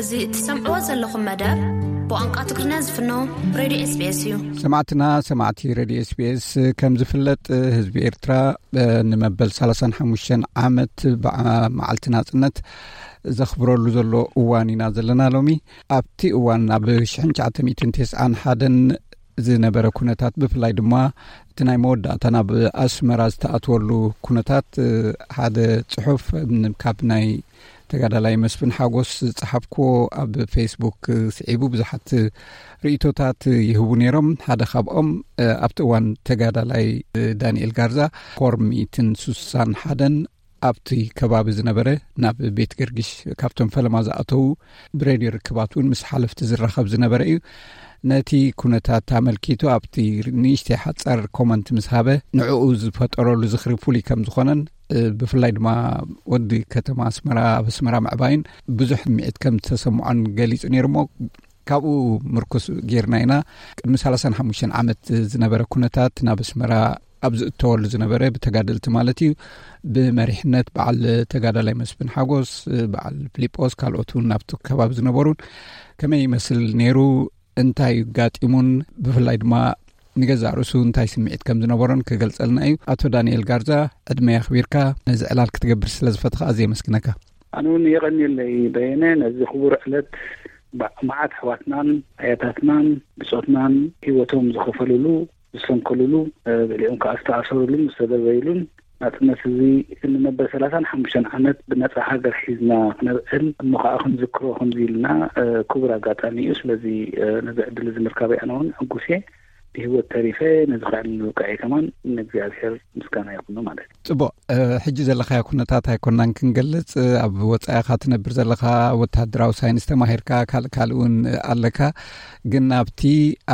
እዚ እትሰምዕዎ ዘለኹም መደብ ብቋንቋ ትግርኛ ዝፍኖ ሬድዮ ኤስቢኤስ እዩ። ሰማዕትና ሰማዕቲ ሬድዮ ኤስቢኤስ፣ ከም ዝፍለጥ ህዝቢ ኤርትራ ንመበል ሰላሳን ሓሙሽተን ዓመት በዓ-፣ መዓልቲ ናጽነት ዘኽብረሉ ዘሎ እዋን ኢና ዘለና ሎሚ። ኣብቲ እዋን ኣብ ሽሕን ትሽዓተ ሚእትን ተስዓን ሓደን ዝነበረ ኩነታት፣ ብፍላይ ድማ እቲ ናይ መወዳእታ ናብ ኣስመራ ዝተኣትወሉ ኩነታት፣ ሓደ ጽሑፍ ካብ ናይ ተጋዳላይ መስፍን ሓጎስ ዝጸሓፍክዎ ኣብ ፌስቡክ ስዒቡ ብዙሓት ርእይቶታት ይህቡ ነይሮም። ሓደ ካብኦም፣ ኣብቲ እዋን ተጋዳላይ ዳንኤል ጋርዛ ኮር ሚእትን ሱሳን ሓደን ኣብቲ ከባቢ ዝነበረ፣ ናብ ቤት ገርጊሽ ካብቶም ፈለማ ዝኣተዉ፣ ብሬድዮ ርክባት እውን ምስ ሓለፍቲ ዝራኸብ ዝነበረ እዩ። ነቲ ኩነታት ኣመልኪቱ ኣብቲ ንእሽተይ ሓጻር ኮመንት ምስ ሃበ፣ ንዕኡ ዝፈጠረሉ ዝኽሪ ፍሉይ ከም ዝኾነን፣ እ፣ ብፍላይ ድማ ወዲ ከተማ ኣስመራ፣ ኣብ ኣስመራ ምዕባይን ብዙሕ ስምዒት ከም ዝተሰምዖን ገሊጹ ነይሩ። እሞ ካብኡ ምርኩስ ጌርና ኢና ቅድሚ ሰላሳን ሓሙሽተን ዓመት ዝነበረ ኩነታት ናብ ኣስመራ ኣብ ዝእተወሉ ዝነበረ፣ ብተጋደልቲ ማለት እዩ፣ ብመሪሕነት በዓል ተጋዳላይ መስፍን ሓጎስ፣ በዓል ፊሊጶስ፣ ካልኦት እውን ናብቲ ከባቢ ዝነበሩን ከመይ ይመስል ነይሩ፣ እንታይ እዩ ጋጢሙን፣ ብፍላይ ድማ ንገዛእ ርእሱ እንታይ ስምዒት ከም ዝነበሮን ክገልጸልና እዩ። ኣቶ ዳንኤል ጋርዛ፣ ዕድመ ኣኽቢርካ ነዚ ዕላል ክትገብር ስለ ዝፈተኻ ኣዝየ የመስግነካ። ኣነ እውን የቐንየለይ በየነ፣ ነዚ ክቡር ዕለት፣ ባ-፣ መዓት ኣሕዋትናን ኣያታትናን ብጾትናን ህይወቶም ዝኸፈሉሉ፣ ዝሰንከሉሉ፣ እ፣ ገሊኦም ከኣ ዝተኣሰሩሉን ዝተደበዩሉን፣ ናጽነት እዚ ንመበል ሰላሳን ሓሙሽተን ዓመት ብነጻ ሃገር ሒዝና ክነብዕል እሞ ከኣ ክንዝክሮ ከምዚ ኢልና፣ እ፣ ክቡር ኣጋጣሚ እዩ። ስለዚ፣ እ፣ ነዚ ዕድል እዚ ምርካበይ ኣነ እውን ሕጉስ እየ። ብህይወት ተሪፈ ነዚ ክዕልል ምብቃዐይ ከማን ንእግዚኣብሔር ምስጋና ይኹኖ ማለት እዩ። ጽቡቕ፣ እ፣ ሕጂ ዘለኻዮ ኩነታት ኣይኮናን ክንገልጽ። እ፣ ኣብ ወጻኢ ኢኻ ትነብር ዘለኻ፣ ወተሃደራዊ ሳይንስ ተማሂርካ፣ ካልእ ካልእ እውን ኣለካ። ግን ኣብቲ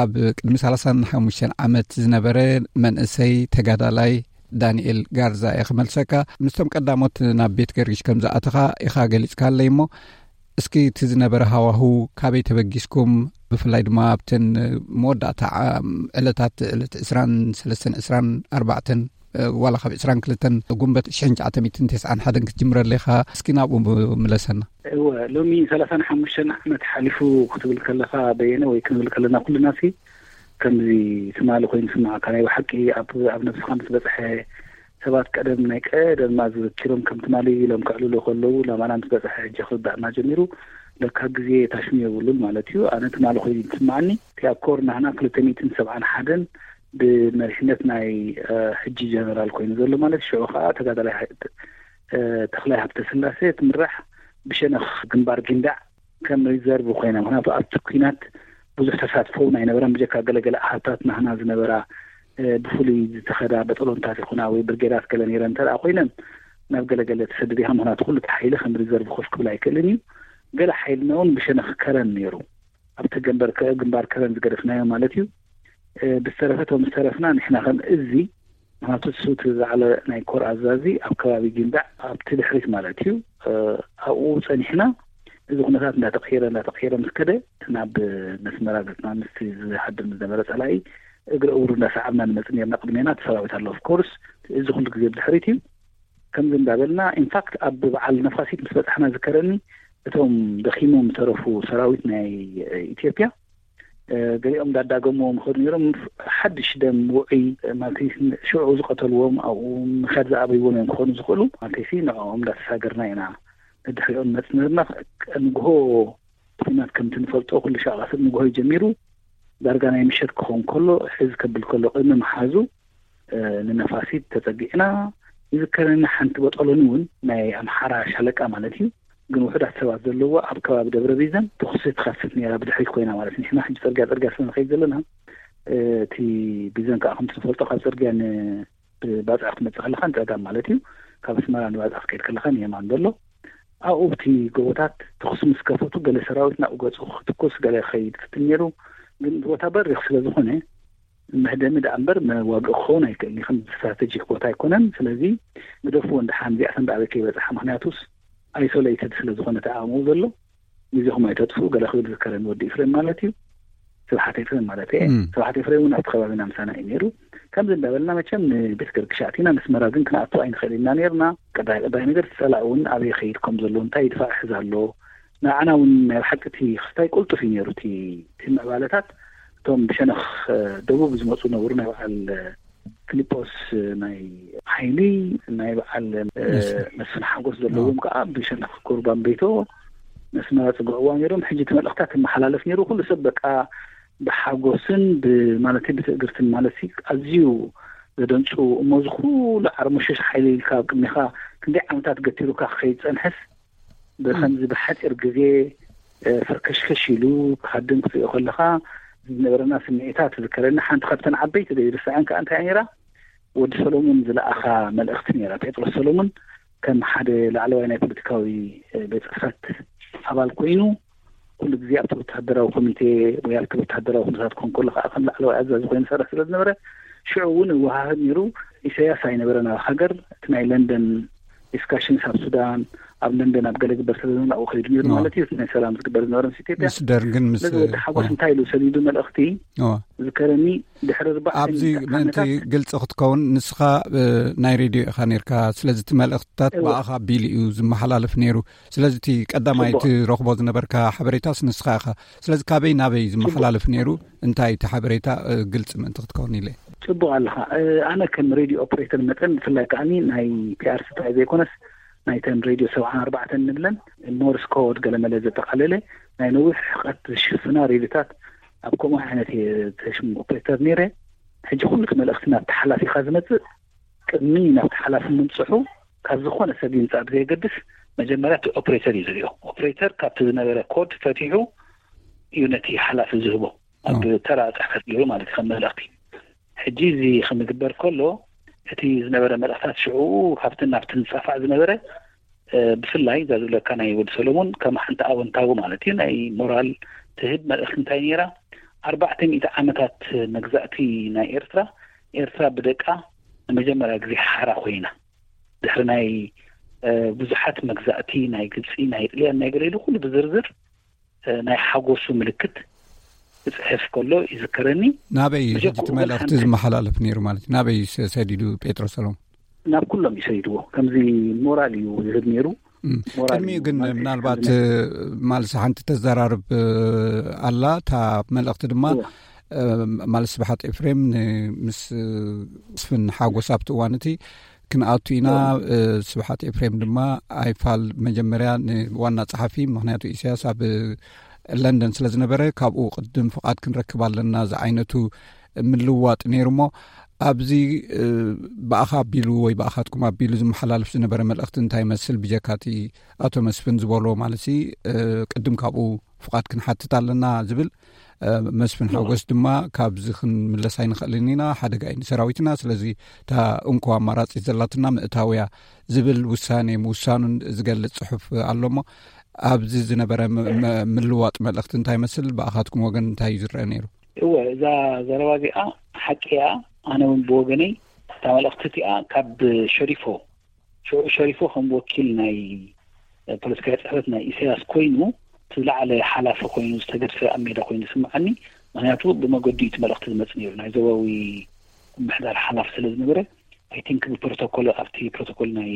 ኣብ ቅድሚ ሰላሳን ሓሙሽተን ዓመት ዝነበረ መንእሰይ ተጋዳላይ ዳንኤል ጋርዛ እየ ክመልሰካ። ምስቶም ቀዳሞት ናብ ቤት ገርጊሽ ከም ዝኣተኻ ኢኻ ገሊጽካለይ እሞ፣ እስኪ እቲ ዝነበረ ሃዋሁ፣ ካበይ ተበጊስኩም፣ ብፍላይ ድማ ኣብተን መወዳእታ ዓ-፣ ዕለታት፣ ዕለት ዕስራን ሰለስተን ዕስራን ኣርባዕተን፣ እ፣ ዋላ ካብ ዕስራን ክልተን ጉንበት ሽሕን ትሽዓተ ሚእትን ተስዓን ሓደን ክትጅምረለይ ኢኻ፣ እስኪ ናብኡ ምለሰና። እወ፣ ሎሚ ሰላሳን ሓሙሽተን ዓመት ሓሊፉ ክትብል ከለኻ በየነ፣ ወይ ክንብል ከለና ኩልና ሲ፣ ከምዚ ትማሊ ኮይኑ ዝስምዓካ፣ ናይ ብሓቂ ኣብ፣ ኣብ ነብስኻ ምስ በጽሐ፣ ሰባት ቀደም፣ ናይ ቀደም ኣዘኪሮም ከም ትማሊ ኢሎም ከዕልሉ ከለዉ፣ ናባና ምስ በጽሐ ሕጂ ክርዳእና ጀሚሩ። ለካ ግዜ ታሽሙ የብሉን ማለት እዩ። ኣነ ትማሊ ኮይኑ ዝስምዓኒ፣ እቲ ኣብ ኮር ናህና ክልተ ሚእትን ሰብዓን ሓደን ብመሪሕነት ናይ፣ እ፣ ሕጂ ጀነራል ኮይኑ ዘሎ ማለት፣ ሽዑ ከኣ ተጋዳላይ ሃ-፣ እ፣ ተኽላይ ሃብተስላሴ ትምራሕ ብሸነኽ ግንባር ጊንዳዕ ከም ሪዘርቭ ኮይና፣ ምኽንያቱ ኣብቲ ኲናት ብዙሕ ተሳትፎ እውን ኣይነበረን፣ ብጀካ ገለገለ ኣሃታት ናህና ዝነበራ፣ እ፣ ብፍሉይ ዝተኸዳ በጠሎንታት ይኹና ወይ ብርጌዳት ገለ ነይረን እንተ ደኣ ኮይነን፣ ናብ ገለገለ ተሰድድ ኢኻ፣ ምኽንያቱ ኩሉ እቲ ሓይሊ ከም ሪዘርቭ ኮፍ ክብል ኣይክእልን እዩ። ገለ ሓይልና እውን ብሸነኽ ከረን ነይሩ፣ ኣብቲ ግንባር ከ-፣ ግንባር ከረን ዝገደፍናዮ ማለት እዩ። እ፣ ብዝተረፈ እቶም ዝተረፍና ንሕና ከም እዚ፣ ምኽንያቱ እሱ እቲ ዝዓለ ናይ ኮር ኣዛዚ ኣብ ከባቢ ጊንዳዕ ኣብቲ ድሕሪት ማለት እዩ። እ፣ ኣብኡ ጸኒሕና፣ እዚ ኩነታት እንዳተቐየረ፣ እንዳተቐየረ ምስ ከደ፣ ናብ መስመራ ገጽና ምስቲ ዝሃድም ዝነበረ ጸላኢ እግሪ እውሩ እንዳሰዓብና ንመጽእ ነርና። ቅድሜና እቲ ሰራዊት ኣሎ፣ ኦፍ ኮርስ፣ እዚ ኩሉ ግዜ ብድሕሪት እዩ። ከምዚ እንዳበልና፣ ኢንፋክት፣ ኣብ በዓል ነፋሲት ምስ በጻሕና ዝከረኒ፣ እቶም ደኺሞም ዝተረፉ ሰራዊት ናይ ኢትዮጵያ፣ እ፣ ገሊኦም እንዳዳገምዎም ይኸዱ ነይሮም። ሓድሽ ደም ውዑይ፣ ማለት፣ ሽዑ ዝቐተልዎም፣ ኣብኡ ምኻድ ዝኣበይዎም እዮም ክኾኑ ዝኽእሉ። ማለት፣ ንዕኦም እንዳተሳገርና ኢና ንድሕሪኦም ንመጽእ ነርና። ንግሆ ኲናት ከምቲ ንፈልጦ፣ ኩሉ ሻዕ ቀትሪ ንግሆ ጀሚሩ፣ ዳርጋ ናይ ምሸት ክኸውን ከሎ፣ ሕዝ ከብል ከሎ፣ ቅድሚ ምሓዙ፣ እ፣ ንነፋሲት ተጸጊዕና። ይዝከረኒ፣ ሓንቲ በጠሎኒ እውን፣ ናይ ኣምሓራ ሻለቃ ማለት እዩ፣ ግን ውሑዳት ሰባት ዘለዎ፣ ኣብ ከባቢ ደብረ ቢዘን ተኹሲ ትኸፍት ነይራ፣ ብድሕሪት ኮይና ማለት። ንሕና ሕጂ ጽርግያ ጽርግያ ስለ ንኸይድ ዘለና፣ እ፣ እቲ ቢዘን ከዓ ከምቲ ንፈልጦ ካብ ጽርግያ ን-፣ ብባጽዕ ክትመጽእ ከለኻ ንጸጋም ማለት እዩ። ካብ ኣስመራ ንባጽዕ ክትከይድ ከለኻ ንየማን ዘሎ። ኣብኡ ኣብቲ ጎቦታት ተኹሲ ምስ ከፈቱ፣ ገለ ሰራዊት ናብኡ ገጹ ክትኩስ፣ ገለ ክኸይድ ይፍትን ነይሩ። ግን እቲ ቦታ በሪኽ ስለ ዝኾነ፣ መህደሚ ደኣ እምበር መዋግኢ ክኸውን ኣይክእልን እዩ። ከም ስትራተጂክ ቦታ ኣይኮነን። ስለዚ ግደፍዎ፣ እንድሓን እዚኣተን ደኣ ኣበይ ከይበጽሓ፣ ምኽንያቱስ ኣይሶሌትድ ስለ ዝኾነ እቲ ዓቕምኡ ዘሎ፣ ግዜኹም ኣይተጥፍኡ፣ ገለ ክብል ዝከረኒ ወዲ ኤፍሬም ማለት እዩ። ስብሓት ኤፍሬም ማለት እየ። እም። ስብሓት ኤፍሬም እውን ኣብቲ ከባቢና ምሳና እዩ ነይሩ። ከምዚ እንዳበልና መቸም ንቤት ገርግሽ ኣቲና፣ ነስመራ ግን ክንኣቱ ኣይንኽእል ኢና ነይርና። ቀዳይ ቀዳይ ነገር እቲ ጸላኢ እውን ኣበይ ይኸይድ ከም ዘሎ፣ እንታይ ይድፋዕ ሕዝ ኣሎ፣ ንዓና እውን ናይ ብሓቂ እቲ ክስታይ ቅልጡፍ እዩ ነይሩ። እቲ እቲ ምዕባለታት እቶም ብሸነኽ ደቡብ ዝመፁ ነበሩ። ናይ በዓል ፊሊጶስ ናይ ሓይሊ፣ ናይ በዓል መስፍን ሓጎስ ዘለዎም ከዓ ብሸነኽ ቁርባን ቤቶ መስመራ ፅግዕዋ ነይሮም። ሕጂ እቲ መልእኽታት ይመሓላለፍ ነይሩ። ኩሉ ሰብ በቃ ብሓጎስን ብማለተይ ብትእግርትን ማለት ኣዝዩ ዘደንፁ። እሞ እዚ ኩሉ ዓርሞሸሽ ሓይሊ ኢልካ ኣብ ቅድሚኻ ክንደይ ዓመታት ገቲሩካ ክኸይድ ፀንሐስ ብኸምዚ ብሓፂር ግዜ ፈርከሽከሽ ኢሉ ክሃድም ክትሪኦ ከለኻ ዝነበረና ስምዒታት ትዝከረኒ። ሓንቲ ካብተን ዓበይቲ ዘይርስዐን ከዓ እንታይ ነይራ፣ ወዲ ሰሎሙን ዝለኣኻ መልእኽቲ ነይራ። ጴጥሮስ ሰሎሙን ከም ሓደ ላዕለዋይ ናይ ፖለቲካዊ ቤት ፅሕፈት ኣባል ኮይኑ ኩሉ ግዜ ኣብቲ ወታደራዊ ኮሚቴ ወይ ኣብቲ ወታደራዊ ኩነታት ክኾን ከሎ ከዓ ከም ላዕለዋይ ኣዛዚ ኮይኑ ዝሰርሕ ስለ ዝነበረ ሽዑ እውን እወሃህድ ነይሩ። ኢሳያስ ኣይነበረን ኣብ ሃገር። እቲ ናይ ለንደን ዲስካሽንስ ኣብ ሱዳን ኣብ ለንደን ኣብ ገለ ግበር ስለ ዝነበረ ኣብኡ ከይዱ ነይሩ ማለት እዩ። ናይ ሰላም ዝግበር ዝነበረ ምስ ኢትዮጵያ ምስ ደርግን ምስ ስለዚ ወዲ ሓጎስ እንታይ ኢሉ ሰዲዱ መልእኽቲ ዝከረኒ ድሕሪ ርባዕ ኣብዚ ምእንቲ ግልፂ ክትከውን ንስኻ ናይ ሬድዮ ኢኻ ነርካ። ስለዚ እቲ መልእኽትታት ብኣኻ ኣቢሉ እዩ ዝመሓላለፍ ነይሩ። ስለዚ እቲ ቀዳማይ ትረኽቦ ዝነበርካ ሓበሬታስ ንስኻ ኢኻ። ስለዚ ካበይ ናበይ ዝመሓላለፍ ነይሩ? እንታይ እቲ ሓበሬታ ግልፂ ምእንቲ ክትከውን ኢለ። ፅቡቅ ኣለኻ። ኣነ ከም ሬድዮ ኦፕሬተር መጠን ብፍላይ ከዓኒ ናይ ፒኣር ስታይ ዘይኮነስ ናይተን ሬድዮ ሰብዓን ኣርባዕተን ንብለን ሞርስ ኮድ ገለመለ ዘጠቃለለ ናይ ነዊሕ ርሕቀት ዝሽፍና ሬድዮታት ኣብ ከምኡ ዓይነት ተሽም ኦፕሬተር ነይረ። ሕጂ ኩሉ እቲ መልእኽቲ ናብቲ ሓላፊኻ ዝመፅእ ቅድሚ ናብቲ ሓላፊ ምምፅሑ ካብ ዝኾነ ሰብ ይምፃእ ብዘየገድስ መጀመርያ እቲ ኦፕሬተር እዩ ዝሪኦ። ኦፕሬተር ካብቲ ዝነበረ ኮድ ፈቲሑ እዩ ነቲ ሓላፊ ዝህቦ ኣብ ተራ ፅሕፈት ገይሩ ማለት እዩ ከም መልእኽቲ። ሕጂ እዚ ክምግበር ከሎ እቲ ዝነበረ መልእኽታት ሽዑ ካብቲ ናብቲ ዝፃፋዕ ዝነበረ ብፍላይ እዛ ዝብለካ ናይ ወዲ ሰሎሙን ከም ሓንቲ ኣወንታዊ ማለት እዩ ናይ ሞራል ትህብ መልእኽቲ እንታይ ነይራ? ኣርባዕተ ሚእቲ ዓመታት መግዛእቲ ናይ ኤርትራ፣ ኤርትራ ብደቃ ንመጀመርያ ግዜ ሓራ ኮይና ድሕሪ ናይ ብዙሓት መግዛእቲ ናይ ግብፂ ናይ ጥልያን ናይ ገለ ኢሉ ኩሉ ብዝርዝር ናይ ሓጎሱ ምልክት ክፅሕፍ ከሎ ይዝከረኒ። ናበይ እዩ ሕጂ እቲ መልእኽቲ ዝመሓላለፍ ነይሩ ማለት እዩ? ናበይ እዩ ሰዲዱ ጴጥሮስ ሰሎሞን? ናብ ኩሎም እዩ ሰዲድዎ። ከምዚ ሞራል እዩ ዝህብ ነይሩ። ቅድሚኡ ግን ምናልባት ማልሲ ሓንቲ ተዘራርብ ኣላ። እታ መልእኽቲ ድማ ማልሲ ስብሓት ኤፍሬም ምስ ስፍን ሓጎስ ኣብቲ እዋን እቲ ክንኣቱ ኢና። ስብሓት ኤፍሬም ድማ ኣይፋል መጀመርያ ንዋና ጸሓፊ፣ ምኽንያቱ ኢሳያስ ኣብ ለንደን ስለ ዝነበረ ካብኡ ቅድም ፍቓድ ክንረክብ ኣለና ዝዓይነቱ ምልዋጥ ነይሩ። እሞ ኣብዚ ብኣኻ ኣቢሉ ወይ ብኣኻትኩም ኣቢሉ ዝመሓላልፍ ዝነበረ መልእኽቲ እንታይ ይመስል? ብጀካቲ ኣቶ መስፍን ዝበሎ ማለት ቅድም ካብኡ ፍቓድ ክንሓትት ኣለና ዝብል መስፍን ሓጎስ ድማ ካብዚ ክንምለስ ኣይንኽእልን ኢና፣ ሓደጋ እዩ ንሰራዊትና። ስለዚ እታ እንኮ ኣማራፂ ዘላትና ምእታውያ ዝብል ውሳኔ ምውሳኑን ዝገልፅ ፅሑፍ ኣሎ። እሞ ኣብዚ ዝነበረ ምልዋጥ መልእኽቲ እንታይ ይመስል? ብኣኻትኩም ወገን እንታይ እዩ ዝረአ ነይሩ? እወ፣ እዛ ዘረባ እዚኣ ሓቂ እያ። ኣነ እውን ብወገነይ እታ መልእኽቲ እቲኣ ካብ ሸሪፎ ሽዑ ሸሪፎ ከም ወኪል ናይ ፖለቲካዊ ፅሕፈት ናይ ኢሳያስ ኮይኑ እቲ ዝለዓለ ሓላፊ ኮይኑ ዝተገድፈ ኣብ ሜዳ ኮይኑ ዝስምዓኒ። ምክንያቱ ብመገዱ እቲ መልእኽቲ ዝመፅ ነይሩ ናይ ዞባዊ ምሕዳር ሓላፊ ስለ ዝነበረ፣ ኣይ ቲንክ ብፕሮቶኮል ኣብቲ ፕሮቶኮል ናይ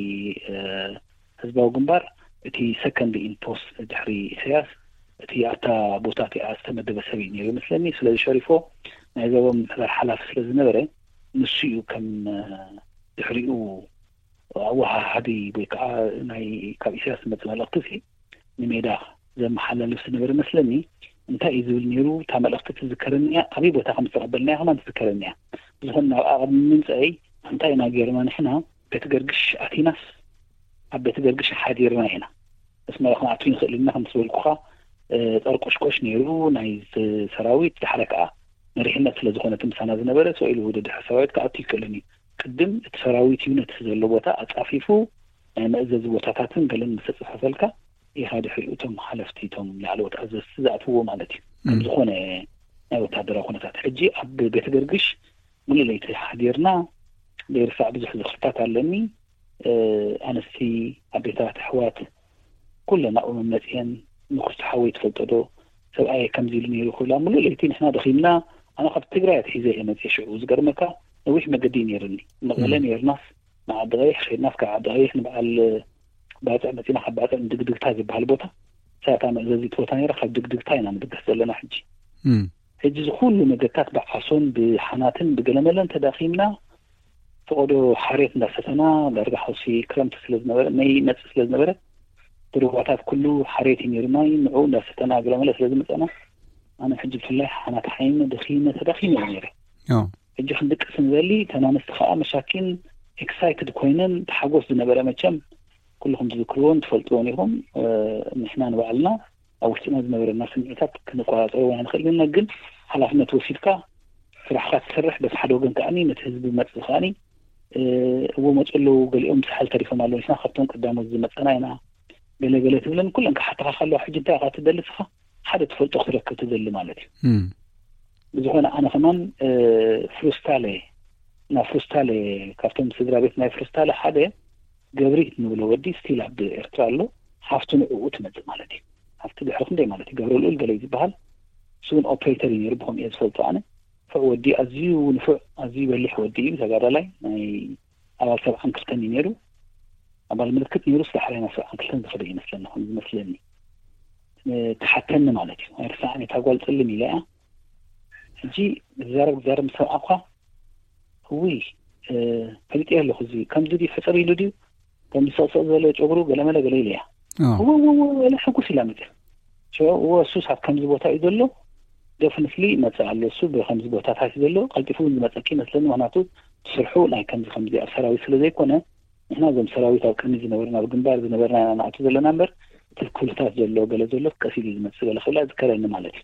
ህዝባዊ ግንባር እቲ ሰከንድ ኢን ፖስት ድሕሪ ኢሳያስ እቲ ኣብታ ቦታ እቲኣ ዝተመደበ ሰብ እዩ ነይሩ ይመስለኒ። ስለዚ ሸሪፎ ናይ ዞባዊ ምሕዳር ሓላፊ ስለ ዝነበረ ንሱ እዩ ከም ድሕሪኡ ኣወሃሃዲ ወይ ከዓ ናይ ካብ ኢሳያስ ዝመፅእ መልእኽቲ ሲ ንሜዳ ዘመሓላልፍ ዝነበረ መስለኒ። እንታይ እዩ ዝብል ነይሩ? እታ መልእኽቲ ትዝከረኒ እያ፣ ኣበይ ቦታ ከም ዝተቐበልናያ ከማን ትዝከረኒ እያ። ብዝኾነ ናብ ኣቕድሚ ምምፀአይ እንታይ ኢና ገይርና ንሕና ቤት ገርግሽ ኣቲናስ ኣብ ቤት ገርግሽ ሓዲርና ኢና። ኣስመራ ክንኣቱ ይንኽእል ኢና ከም ዝበልኩኻ ጠርቆሽቆሽ ነይሩ ናይ ሰራዊት። ድሓረ ከዓ መሪሕነት ስለ ዝኾነ እቲ ምሳና ዝነበረ ሰው ኢሉ ወደ ድሕሪ ሰራዊት ክኣቱ ይክእልን እዩ። ቅድም እቲ ሰራዊት ዩነት ዘሎ ቦታ ኣፃፊፉ ናይ መእዘዚ ቦታታትን ገለን ምስ ተፅፈፈልካ ኢኻ ድሕሪኡ እቶም ሓለፍቲ እቶም ላዕለዎት ኣዘዝቲ ዝኣትውዎ ማለት እዩ። ከም ዝኾነ ናይ ወታደራዊ ኩነታት ሕጂ ኣብ ቤተ ገርግሽ ሙሉእ ለይቲ ሓዲርና ዘይርሳዕ ብዙሕ ዝኽርታት ኣለኒ። ኣንስቲ፣ ኣዴታት፣ ኣሕዋት ኩለን ኣብኡ መመፅየን ንኩስቲ ሓወይ ትፈልጦ ዶ ሰብኣየ ከምዚ ኢሉ ነይሩ ክብላ ሙሉእ ለይቲ ንሕና ደኺምና። ኣነ ካብ ትግራይ ኣትሒዘ እየ መፅየ። ሽዑ ዝገርመካ ነዊሕ መገዲ እዩ ነይርኒ። መቐለ ነይርናስ ንዓዲ ቀይሕ ኸይድናስ ካብ ዓዲ ቀይሕ ንበዓል ባፅዕ መፂና ካብ ባፅዕ ንድግድግታ ዝበሃል ቦታ ሳታ መእዘዚት ቦታ ነይራ። ካብ ድግድግታ ኢና ንብገስ ዘለና ሕጂ። ሕጂ ዝኩሉ ነገታት ብዓሶን ብሓናትን ብገለመለን ተዳኺምና፣ ፈቐዶ ሓሬት እንዳሰተና፣ ዳርጋ ሓውሲ ክረምቲ ስለ ዝነበረ፣ መይ መጽእ ስለ ዝነበረ፣ ብሩባታት ኩሉ ሓሬት እዩ ነይሩ፣ ማይ ንዑ እንዳሰተና ገለመለ ስለ ዝመጸና፣ ኣነ ሕጂ ብፍላይ ሓናት ሓይነ ደኺመ ተዳኺመ እየ ነይረ። ሕጂ ክንድቅስ ንዘሊ፣ ተናነስቲ ከዓ መሻኪን ኤክሳይትድ ኮይነን ተሓጎስ ዝነበረ፣ መቸም ኩልኹም ትዝክርዎን ትፈልጥዎን ኢኹም። ንሕና ንባዕልና ኣብ ውሽጥና ዝነበረና ስምዒታት ክንቆፃፀሮ ኣይንኽእል ኢና። ግን ሓላፍነት ወሲድካ ስራሕካ ትሰርሕ፣ በቲ ሓደ ወገን ከዓኒ ነቲ ህዝቢ መፅ ዝኸኣኒ እዎ መፁ ኣለዉ፣ ገሊኦም ሳሕል ተሪፎም ኣለዉ፣ ንሕና ካብቶም ቀዳሞት ዝመፀና ኢና፣ ገለ ገለ ትብለን ኩለን ክሓተኻ ከለዋ፣ ሕጂ እንታይ ኢኻ ትደሊ ንስኻ? ሓደ ትፈልጦ ክትረክብ ትደሊ ማለት እዩ። ብዝኾነ ኣነ ከማን ፍሩስታለ፣ ናብ ፍሩስታለ፣ ካብቶም ስድራ ቤት ናይ ፍሩስታለ ሓደ ገብሪት ንብሎ ወዲ ስቲል ኣብ ኤርትራ ኣሎ። ሓፍቱ ንዕኡ ትመጽእ ማለት እዩ። ሓፍቲ ድሕሪ ክንደይ ማለት እዩ፣ ገብረ ልኡል ገለ እዩ ዝበሃል። እሱ እውን ኦፕሬተር እዩ ነይሩ፣ ብኸምኡ እየ ዝፈልጦ ኣነ። ፍዕ ወዲ፣ ኣዝዩ ንፉዕ፣ ኣዝዩ በሊሕ ወዲ እዩ፣ ተጋዳላይ፣ ናይ ኣባል ሰብዓን ክልተን እዩ ነይሩ። ኣባል ምልክት ነይሩ፣ ስለ ሓራይ ናብ ሰብዓን ክልተን ዝኸደ ይመስለኒ፣ ከም ዝመስለኒ። ተሓተኒ ማለት እዩ። ኣይርሳዕን እታ ጓል ጽልም ኢለ እያ። ሕጂ ዝዛረብ ዝዛረብ ምስ ሰምዓኳ፣ እውይ፣ ፈሊጠዮ ኣለኹ፣ እዚ ከምዚ ድዩ ሕጽር ኢሉ ድዩ፣ ከምዚ ሰቕሰቕ ዝበለ ጨጉሩ ገለመለ ገለ ኢለ እያ። እወ እወ እወ፣ ገለ ሕጉስ ኢላ መጽያ። እወ፣ እሱስ ኣብ ከምዚ ቦታ እዩ ዘሎ፣ ደፍንትሊ ይመጽእ ኣሎ፣ እሱ ብከምዚ ቦታታት እዩ ዘሎ፣ ቀልጢፉ እውን ዝመጸኪ ይመስለኒ፣ ምኽንያቱ ስርሑ ናይ ከምዚ ከምዚ ኣብ ሰራዊት ስለ ዘይኮነ፣ ንሕና እዞም ሰራዊት ኣብ ቅድሚ ዝነበርና፣ ኣብ ግንባር ዝነበርና ኢና ንኣቱ ዘለና እምበር፣ እቲ ኩልታት ዘሎ፣ ገለ ዘሎ ቀስ ኢሉ ዝመጽእ ገለ ክብላ ዝከረኒ ማለት እዩ።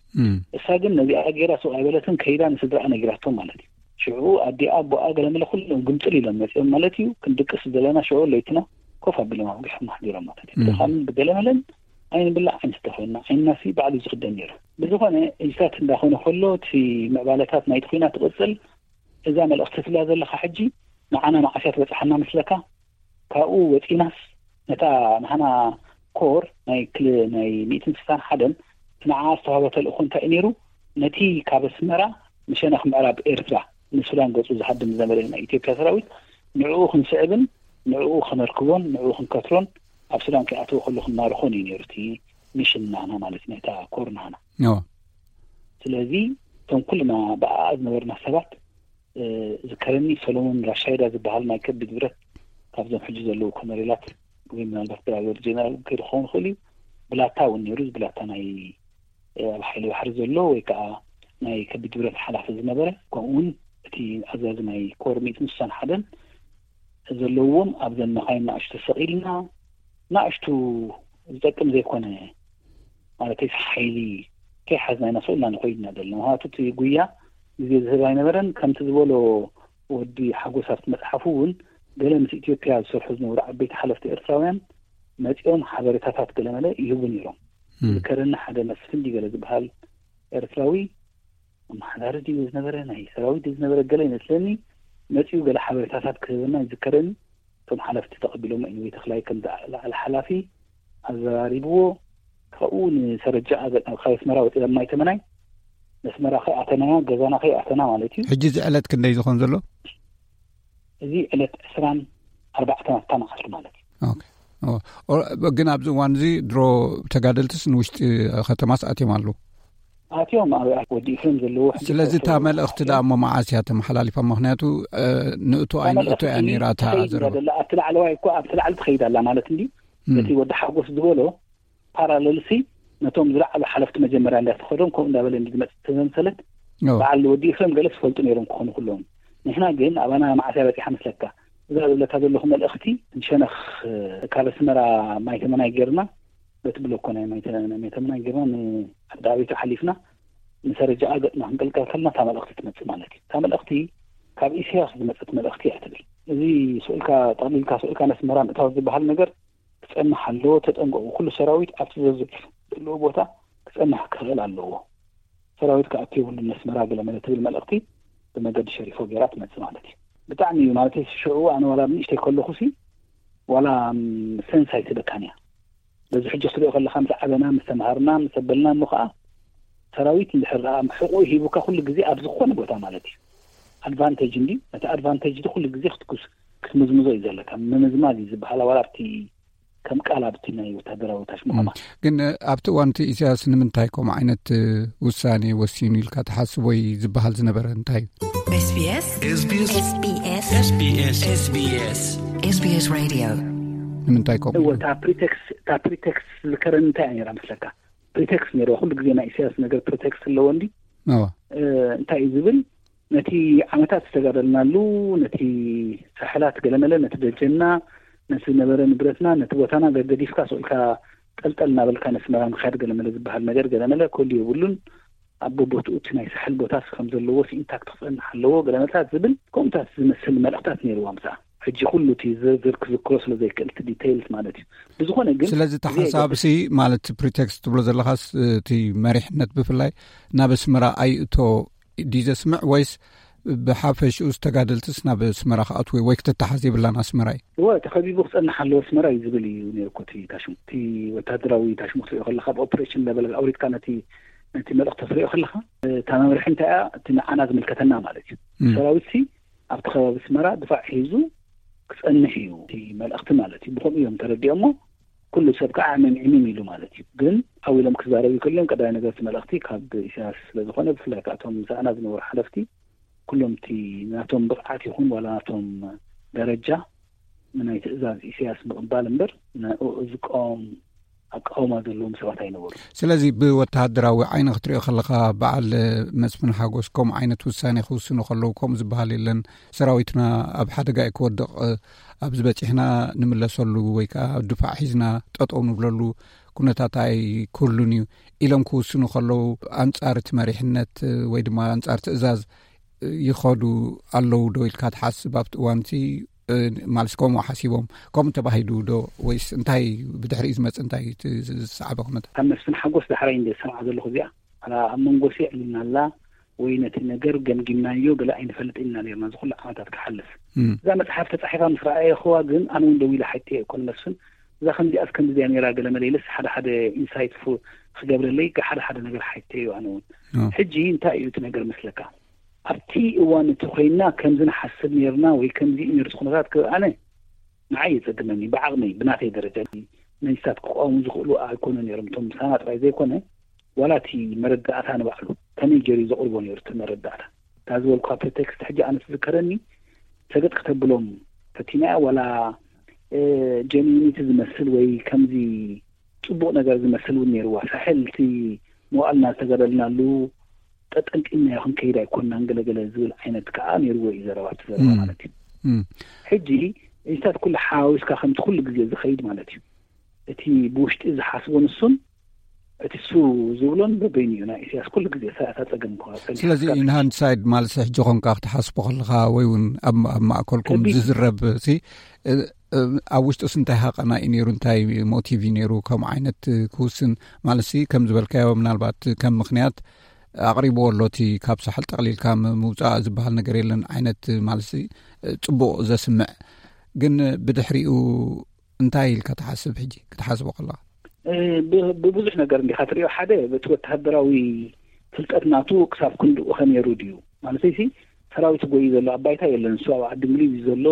እሳ ግን ነዚኣ ገይራ ሱቕ ኣይበለትን፣ ከይዳ ንስድራኣ ነጊራቶም ማለት እዩ። ሽዑ ኣዲኣ ኣቦኣ ገለመለ ኩሎም ግምጥል ኢሎም መጺኦም ማለት እዩ። ክንድቅስ ዘለና ሽዑ ለይትና ኮፍ ኣቢሎም ኣጉሖም ኣሕዲሮም ማለት እዩ። ብድኻምን ብገለመለን ኣይንብላዕ ኣይንስተ ኮይንና፣ ዓይንናሲ ባዕሉ ዝኽደን ነይሩ። ብዝኾነ እዚታት እንዳኾነ ከሎ እቲ ምዕባለታት ናይቲ ኲናት ትቕጽል። እዛ መልእኽቲ ትብላ ዘለኻ ሕጂ ንዓና መዓስ እያ ትበጽሓና መስለካ? ካብኡ ወጺናስ ነታ ንሃና ኮር ናይ ክል-፣ ናይ ሚእትን ስሳን ሓደን ንዓ ዝተዋህበ ተልእኾ እንታይ እዩ ነይሩ? ነቲ ካብ ኣስመራ ንሸነኽ ምዕራብ ኤርትራ ንሱዳን ገጹ ዝሃድም ዝነበረ ናይ ኢትዮጵያ ሰራዊት ንዕኡ ክንስዕብን ንዕኡ ከነርክቦን ንዕኡ ክንከትሮን ኣብ ሱዳን ከይኣተወ ከሎ ክንማርኾን እዩ ነይሩ እቲ ሚሽን ናህና ማለት እዩ፣ ናይታ ኮር ናህና። እዎ። ስለዚ እቶም ኩልና ብኣኣ ዝነበርና ሰባት፣ እ፣ ዝከረኒ ሰሎሞን ራሻይዳ ዝበሃል ናይ ከቢድ ብረት ካብዞም ሕጂ ዘለዉ ኮነሬላት ወይ ምናልባት ብራገር ጀነራል ከይዱ ክኸውን ይኽእል እዩ። ብላታ እውን ነይሩ። እዚ ብላታ ናይ፣ እ፣ ኣብ ሓይሊ ባሕሪ ዘሎ ወይ ከዓ ናይ ከቢድ ብረት ሓላፊ ዝነበረ፣ ከምኡ እውን እቲ ኣዛዚ ናይ ኮር ሚእትን ስሳን ሓደን ዘለዎም ኣብዘን መኻይን ንኣሽቱ ሰቒልና፣ ንኣሽቱ ዝጠቅም ዘይኮነ ማለት ሓይሊ ከይሓዝና ኢና ስቕ ኢልና ንኸይድ ኢና ዘለና። ምኽንያቱ እቲ ጉያ ግዜ ዝህብ ኣይነበረን። ከምቲ ዝበሎ ወዲ ሓጎስ ኣብቲ መጽሓፉ እውን ገለ ምስ ኢትዮጵያ ዝሰርሑ ዝነበሩ ዓበይቲ ሓለፍቲ ኤርትራውያን መጺኦም ሓበሬታታት ገለመለ ይህቡ ነይሮም። እም። ዝከረኒ ሓደ መስፍን ድዩ ገለ ዝበሃል ኤርትራዊ ኣመሓዳሪ ድዩ ዝነበረ፣ ናይ ሰራዊት ድዩ ዝነበረ፣ ገለ ይመስለኒ፣ መጺኡ ገለ ሓበሬታታት ክህበና ይዝከረኒ። እቶም ሓለፍቲ ተቐቢሎም፣ ኤኒወይ ተኽላይ ከም ዝለዓለ ሓላፊ ኣዘራሪብዎ። ካብኡ ንሰረጃ ኣገ-፣ ካብ ኣስመራ ወፂና ማይ ተመናይ፣ ኣስመራ ከይኣተናያ፣ ገዛና ከይኣተና ማለት እዩ። ሕጂ እዚ ዕለት ክንደይ ዝኾን ዘሎ? እዚ ዕለት ዕስራን ኣርባዕተን ኣብታ መዓልቲ ማለት እዩ። ኦኬ። ኦ፣ ኦ፣ ግን ኣብዚ እዋን እዚ ድሮ ተጋደልትስ ንውሽጢ ከተማስ ኣትዮም ኣለዉ? ኣትዮም ኣብ፣ ኣብ ወዲ ኢፍሬም ዘለዎ ሕጂ ስለዚ እታ ተወሰኑ መልእኽቲ ደኣ እሞ መዓስ እያ ተመሓላሊፋ? ምኽንያቱ፣ እ፣ ንእቶ እታ ኣይንእቶ እያ መልእኽቲ ነይራ እታ ትኸይድ እያ ዘረባ። ዘላ። ኣብቲ ላዕለዋይ እኮ፣ ኣብቲ ላዕሊ ትኸይድ ኣላ ማለት እንዲ። እም። ነቲ ወዲ ሓጎስ ዝበሎ ፓራለልሲ ነቶም ዝለዓሉ ሓለፍቲ መጀመርያ እንዳተኸዶም ከምኡ እንዳበለ እንዲ ዝመጽእ ተዘምሰለት። ኦ። በዓል ወዲ ኢፍሬም ገለ ዝፈልጡ ነይሮም ክኾኑ ኩሎም። ንሕና ግን ኣባና መዓስ እያ በጺሓ መስለካ? እዛ ዝብለካ ዘለኹ መልእኽቲ ንሸነኽ ካብ ኣስመራ ማይ ተመናይ ጌርና፣ በቲ ብሎኮ ናይ ማይ ተ-፣ ናይ ማይ ተመናይ ጌርና ንዓዲ ኣቤቱ ሓሊፍና ንሰረጃኣ ገጽና ክንቅልቀል ከለና እታ መልእኽቲ ትመጽእ ማለት እዩ። እታ መልእኽቲ ካብ ኢሳያስ ዝመጸት መልእኽቲ እያ ትብል። እዚ ስቕ ኢልካ ጠቕሊልካ ስቕ ኢልካ ነስመራ ምእታው ዝበሃል ነገር ክጸንሕ ኣለዎ፣ ተጠንቀቑ፣ ኩሉ ሰራዊት ኣብቲ ዘዘ-፣ ዘለዎ ቦታ ክጸንሕ ክኽእል ኣለዎ። ሰራዊት ክኣቱ የብሉን ነስመራ ገለ መለ ትብል መልእኽቲ ብመገዲ ሸሪፎ ጌራ ትመጽእ ማለት እዩ። ብጣዕሚ እዩ ማለት እዩ። ሽዑ ኣነ ዋላ ንእሽተይ ከለኹሲ ዋላ፣ ም፣ ሰንስ ኣይትበካን እያ። በዚ ሕጂ ክትሪኦ ከለኻ ምስ ዓበና፣ ምስ ተምሃርና፣ ምስ ኣበልና እሞ ኸዓ ሰራዊት እንድሕር ደኣ ሕቑኡ ሂቡካ ኩሉ ግዜ ኣብ ዝኾነ ቦታ ማለት እዩ። ኣድቫንቴጅ እንዲ፣ ነቲ ኣድቫንቴጅ ኩሉ ግዜ ክትኩስ-፣ ክትምዝምዞ እዩ ዘለካ። ምምዝማዝ እዩ ዝበሃል ዋላ ኣብቲ ከም ቃል ኣብቲ ናይ ወታደራዊ ታሽሙ ከማን። ግን ኣብቲ እዋን እቲ ኢሳያስ ንምንታይ ከምኡ ዓይነት ውሳኔ ወሲኑ ኢልካ ትሓስብ ወይ ዝበሃል ዝነበረ እንታይ እዩ? SBS SBS SBS SBS SBS Radio ንምንታይ ከምኡ እወ ኢሉ? እታ ፕሪቴክስ እታ ፕሪቴክስ ዝከረን እንታይ እያ ነይራ መስለካ? ፕሪቴክስ ነይርዋ። ኩሉ ግዜ ናይ ኢሳያስ ነገር ፕሪቴክስ ኣለዎ እንዲ እወ እንታይ እዩ ዝብል? ነቲ ዓመታት ዝተጋደልናሉ፣ ነቲ ሳሕላት ገለመለ፣ ነቲ ደጀና፣ ነቲ ዝነበረ ንብረትና፣ ነቲ ቦታና ገገዲፍካ ስቕ ኢልካ ጠልጠል እናበልካ ነስመራ ምኻድ ገለመለ ዝበሃል ነገር ገለመለ ከሉ የብሉን። ኣብ ቦትኡ እቲ ናይ ሳሕል ቦታስ ከም ዘለዎ ኢንታክት ክጸንሕ ኣለዎ ገለመለታት ዝብል ከምኡታት ዝመስል መልእኽታት ነይርዋ። ምሳ ሕጂ ኩሉ እቲ ዝርዝር ክዝክሮ ስለ ዘይክእል እቲ ዲቴይልስ ማለት እዩ። ብዝኾነ ግን ስለዚ እቲ እዚ ሓሳብ ሲ ማለት ፕሪቴክስት ትብሎ ዘለኻስ እቲ መሪሕነት ብፍላይ ናብ ኣስመራ ኣይእቶ ድዩ ዘስምዕ ወይስ ብሓፈሽኡ ዝተጋደልትስ ናብ ኣስመራ ክኣትዉ ወይ ክትተሓዝ የብላን ኣስመራ እዩ? እወ ተኸቢቡ ክጸንሕ ኣለዎ ኣስመራ እዩ ዝብል እዩ ነይሩ እኮ እቲ ታሽሙ። እቲ ወታደራዊ ታሽሙ ክትሪኦ ከለኻ ኣብ ኦፕሬሽን ለበል ኣውሪድካ ነቲ ነቲ መልእኽቲ ክትሪኦ ከለኻ እታ መምርሒ እንታይ እያ? እቲ ንዓና ዝምልከተና ማለት እዩ። እም። ሰራዊት ሲ ኣብቲ ከባቢ ኣስመራ ድፋዕ ሒዙ ክጸንሕ እዩ እቲ መልእኽቲ ማለት እዩ። ብኸምኡ እዮም ተረዲኦሞ። ኩሉ ሰብ ከዓ ዕምም ዕምም ኢሉ ማለት እዩ። ግን ዓው ኢሎም ክዛረቡ ከልዮም ቀዳማይ ነገር እቲ መልእኽቲ ካብ ኢሳያስ ስለ ዝኾነ ብፍላይ ከዓ እቶም ምሳና ዝነበሩ ሓለፍቲ ኩሎም እቲ ናቶም ብቕዓት ይኹን ዋላ ናቶም ደረጃ ንናይ ትእዛዝ ኢሳያስ ምቕባል እምበር ንኡ ዝቃወም ኣቃውማ ዘለዎም ሰባት ኣይነበሩ። ስለዚ ብወተሃደራዊ ዓይኒ ክትሪኦ ከለኻ በዓል መስፍን ሓጎስ ከምኡ ዓይነት ውሳኔ ክውስኑ ከለዉ ከምኡ ዝበሃል የለን። ሰራዊትና ኣብ ሓደጋ እዩ ክወድቕ፣ ኣብዚ በጺሕና ንምለሰሉ ወይ ከዓ ድፋዕ ሒዝና ጠጠው ንብለሉ ኩነታት ኣይክህሉን እዩ ኢሎም ክውስኑ ከለዉ ኣንጻር እቲ መሪሕነት ወይ ድማ ኣንጻር ትእዛዝ ይኸዱ ኣለዉ ዶ ኢልካ ትሓስብ ኣብቲ እዋንቲ? ማለት ከምኡ ሓሲቦም ከምኡ ተባሂሉ ዶ ወይስ እንታይ ብድሕሪኡ ዝመጽእ እንታይ እቲ ዝሰዓበ ኩነታት? ካብ መስፍን ሓጎስ ዳሕራይ እንደ ሰምዓ ዘለኹ እዚኣ ኣላ ኣብ መንጎ ሲ ዕሊና ኣላ ወይ ነቲ ነገር ገምጊምናዮ ገለ ኣይንፈልጥ ኢልና ነርና ዝኹሉ ዓመታት ክሓልፍ። እዛ መጽሓፍ ተጻሒፋ ምስ ረኣየኽዋ ግን ኣነ እውን ደው ኢለ ሓይተዮ እኮ ንመስፍን እዛ ከምዚኣስ ከምዚያ ነይራ ገለ መለ ኢለስ ሓደ ሓደ ኢንሳይት ክገብረለይ ሓደ ሓደ ነገር ሓይተዮ ኣነ እውን። ሕጂ እንታይ እዩ እቲ ነገር መስለካ? ኣብቲ እዋን እቲ ኮይና ከምዚ ንሓስብ ነርና ወይ ከምዚ እዩ ነርዚ ኩነታት ክብኣነ ንዓይ የጸግመኒ። ብዓቕመይ ብናተይ ደረጃ መንግስታት ክቋሙ ዝኽእሉ ኣይኮኑ ነይሮም። እቶም ምሳና ጥራይ ዘይኮነ ዋላ እቲ መረዳእታ ንባዕሉ ከመይ ገይሩ ዘቕርቦ ነይሩ እቲ መረዳእታ እታ ዝበልኳ ፕሪቴክስት ሕጂ ኣነ ትዝከረኒ ሰገጥ ክተብሎም ፈቲናያ ዋላ ጀኒኒቲ ዝመስል ወይ ከምዚ ጽቡቕ ነገር ዝመስል እውን ነይርዋ። ሳሕል እቲ መዋእልና ዝተጋደልናሉ ጠጠንጢናዮ ክንከይድ ኣይኮንናን ገለገለ ዝብል ዓይነት ከዓ ነይርዎ እዩ ዘረባ እቲ ዘረባ ማለት እዩ። ሕጂ እዚታት ኩሉ ሓዋዊስካ ከምቲ ኩሉ ግዜ ዝኸይድ ማለት እዩ። እቲ ብውሽጢ ዝሓስቦ ንሱን እቲ ሱ ዝብሎን በበይኑ እዩ ናይ ኢሳያስ ኩሉ ግዜ እታ ጸገም። ስለዚ ኢንሃንድሳይድ ማለት ሕጂ ኮንካ ክትሓስቦ ከለኻ ወይ እውን ኣብ ማእከልኩም ዝዝረብ ሲ ኣብ ውሽጡስ እንታይ ሃቐና እዩ ነይሩ እንታይ ሞቲቭ እዩ ነይሩ ከምኡ ዓይነት ክውስን? ማለት ሲ ከም ዝበልካዮ ምናልባት ከም ምኽንያት ኣቕሪብዎ ኣሎ እቲ ካብ ሳሕል ጠቕሊልካ ምውፃእ ዝበሃል ነገር የለን ዓይነት ማለት ሲ ጽቡቕ ዘስምዕ ግን ብድሕሪኡ እንታይ ኢልካ ትሓስብ ሕጂ ክትሓስቦ ከለኻ? ብብዙሕ ነገር እንዲኻ ትሪኦ ሓደ በቲ ወተሃደራዊ ፍልጠት ናቱ ክሳብ ክንድኡ ከነይሩ ድዩ ማለት ሲ ሰራዊት ጎዩ ዘሎ ኣብ ባይታ የለን። ንሱ ኣብ ዓዲ እንግሊዝ እዩ ዘሎ።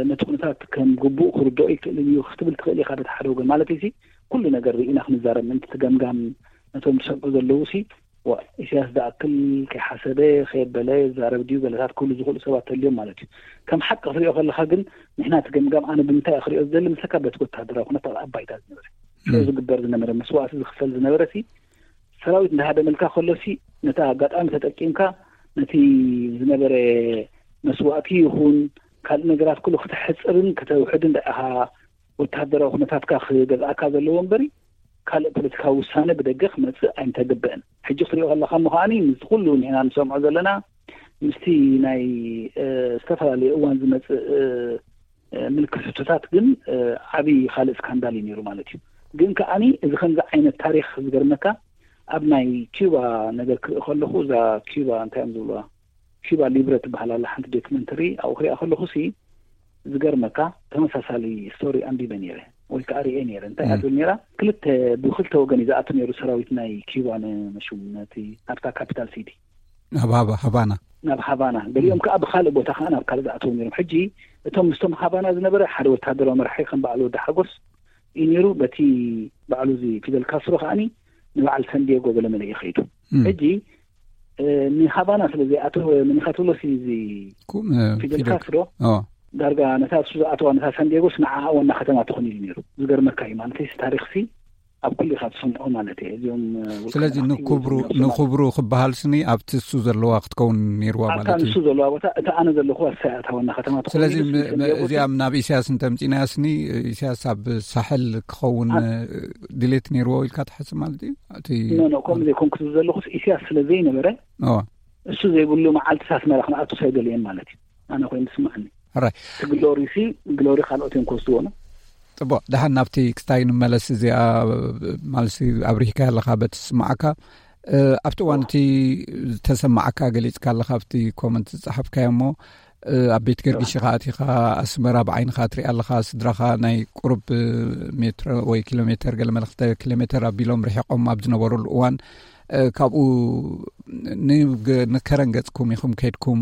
ነቲ ኩነታት ከም ግቡእ ክርድኦ ይክእልን እዩ ክትብል ትኽእል ኢኻ። በቲ ሓደ ወገን ማለት ሲ ኩሉ ነገር ርኢና ክንዛረብ ምእንቲ ትገምጋም ነቶም ዝሰምዑ ዘለዉ ሲ ኢሳያስ ዝኣክል ከይሓሰበ ከየበለ ዛረብ ድዩ ገለታት ክብሉ ዝኽእሉ ሰባት ተልዮም ማለት እዩ። ከም ሓቂ ክትሪኦ ከለኻ ግን ንሕና ትገምጋም ኣነ ብምንታይ ክሪኦ ዝደሊ ምስለካ በቲ ወታደራዊ ኩነታት ኣብ ባይታ ዝነበረ ዝግበር ዝነበረ መስዋእቲ ዝኽፈል ዝነበረ ሲ ሰራዊት እንዳሃደመልካ ከሎ ሲ ነቲ ኣጋጣሚ ተጠቂምካ ነቲ ዝነበረ መስዋእቲ ይኹን ካልእ ነገራት ኩሉ ክተሕፅርን ክተውሕድን ደኣ ኢኻ ወተሃደራዊ ኩነታትካ ክገዝኣካ ዘለዎ እምበሪ ካልእ ፖለቲካዊ ውሳነ ብደገ ክመፅእ ኣይምተገብአን። ሕጂ ክትሪኦ ከለካ እሞ ከዓኒ ምስቲ ኩሉ ንሕና ንሰምዖ ዘለና ምስቲ ናይ ዝተፈላለዩ እዋን ዝመፅእ ምልክት ሕቶታት ግን ዓብዪ ካልእ ስካንዳል እዩ ነይሩ ማለት እዩ። ግን ከዓኒ እዚ ከምዚ ዓይነት ታሪክ ዝገርመካ ኣብ ናይ ኪዩባ ነገር ክርኢ ከለኹ እዛ ኪዩባ እንታይ እዮም ዝብልዋ ኪዩባ ሊብረ ትበሃል ኣላ ሓንቲ ዶክመንተሪ ኣብኡ ክሪኣ ከለኹ ሲ ዝገርመካ ተመሳሳሊ ስቶሪ ኣንቢበ ነይረ ወይ ከዓ ሪኤ ነይረ እንታይ እያ ትብል ነይራ ክልተ ብክልተ ወገን እዩ ዝኣቱ ነይሩ ሰራዊት ናይ ኪዩባ ንመሹም ነቲ ናብታ ካፒታል ሲቲ ናብ ሃባና ናብ ሃባና ገሊኦም ከዓ ብካልእ ቦታ ከዓ ናብ ካልእ ዝኣተው ነይሮም ሕጂ እቶም ምስቶም ሃባና ዝነበረ ሓደ ወታደራዊ መራሒ ከም በዓል ወዲ ሓጎስ እዩ ነይሩ። በቲ ባዕሉ እዚ ፊደል ካስትሮ ከዓኒ ንበዓል ሳንዲየጎ ገለመለ እዩ ከይዱ። ሕጂ ንሃቫና ስለ ዘይኣተወ፣ መን ኢኻ ትብሎ ሲ እዚ ፊደል ካስትሮ ዳርጋ ነታ እሱ ዝኣተዋ፣ ነታ ሳንዲየጎስ ንዓኣ ዋና ከተማ ትኾን ኢሉ ነይሩ። ዝገርመካ እዩ ማለት እዩ፣ ታሪኽሲ ኣብ ኩሉ ኢኻ ትሰምዖ ማለት እዩ። እዚኦም ስለዚ ንክብሩ ክበሃል ስኒ ኣብቲ እሱ ዘለዋ ክትከውን ነይርዋ ማለት እዩ። ንሱ ዘለዋ ቦታ፣ እታ ኣነ ዘለኹዋ እሳ እታ ዋና ከተማ ትኾን። ስለዚ እዚኣ ናብ ኢሳያስ እንተምፂናያ ስኒ፣ ኢሳያስ ኣብ ሳሕል ክኸውን ድሌት ነይርዎ ኢልካ ትሓስብ ማለት እዩ? እቲ ኖ ኖ፣ ከምኡ ዘይኮንኩ ዝብል ዘለኹስ፣ ኢሳያስ ስለ ዘይነበረ፣ እሱ ዘይብሉ መዓልቲ ኣስመራ ክንኣቱ ኣይደለየን ማለት እዩ። ኣነ ኮይኑ ትስማዕኒ። ሕራይ። እቲ ግሎሪ ሲ፣ ግሎሪ ካልኦት እዮም ክወስድዎ ነው። ጽቡቕ፣ ደሓን ናብቲ ክስታይ ንመለስ። እዚኣ ማለሲ ኣብሪህካ ኣለኻ በቲ ዝስማዓካ። ኣብቲ እዋን እቲ ዝተሰማዓካ ገሊጽካ ኣለኻ ኣብቲ ኮመንት ዝጸሓፍካዮ እሞ፣ ኣብ ቤት ገርግሽ ኢኻ ኣቲኻ፣ ኣስመራ ብዓይንኻ ትሪኣ ኣለኻ፣ ስድራኻ ናይ ቁሩብ ሜትሮ ወይ ኪሎ ሜተር፣ ገለ መለ ክልተ ኪሎ ሜተር ኣቢሎም ርሒቖም ኣብ ዝነበሩሉ እዋን፣ ካብኡ ንከረን ገጽኩም ኢኹም ከይድኩም፣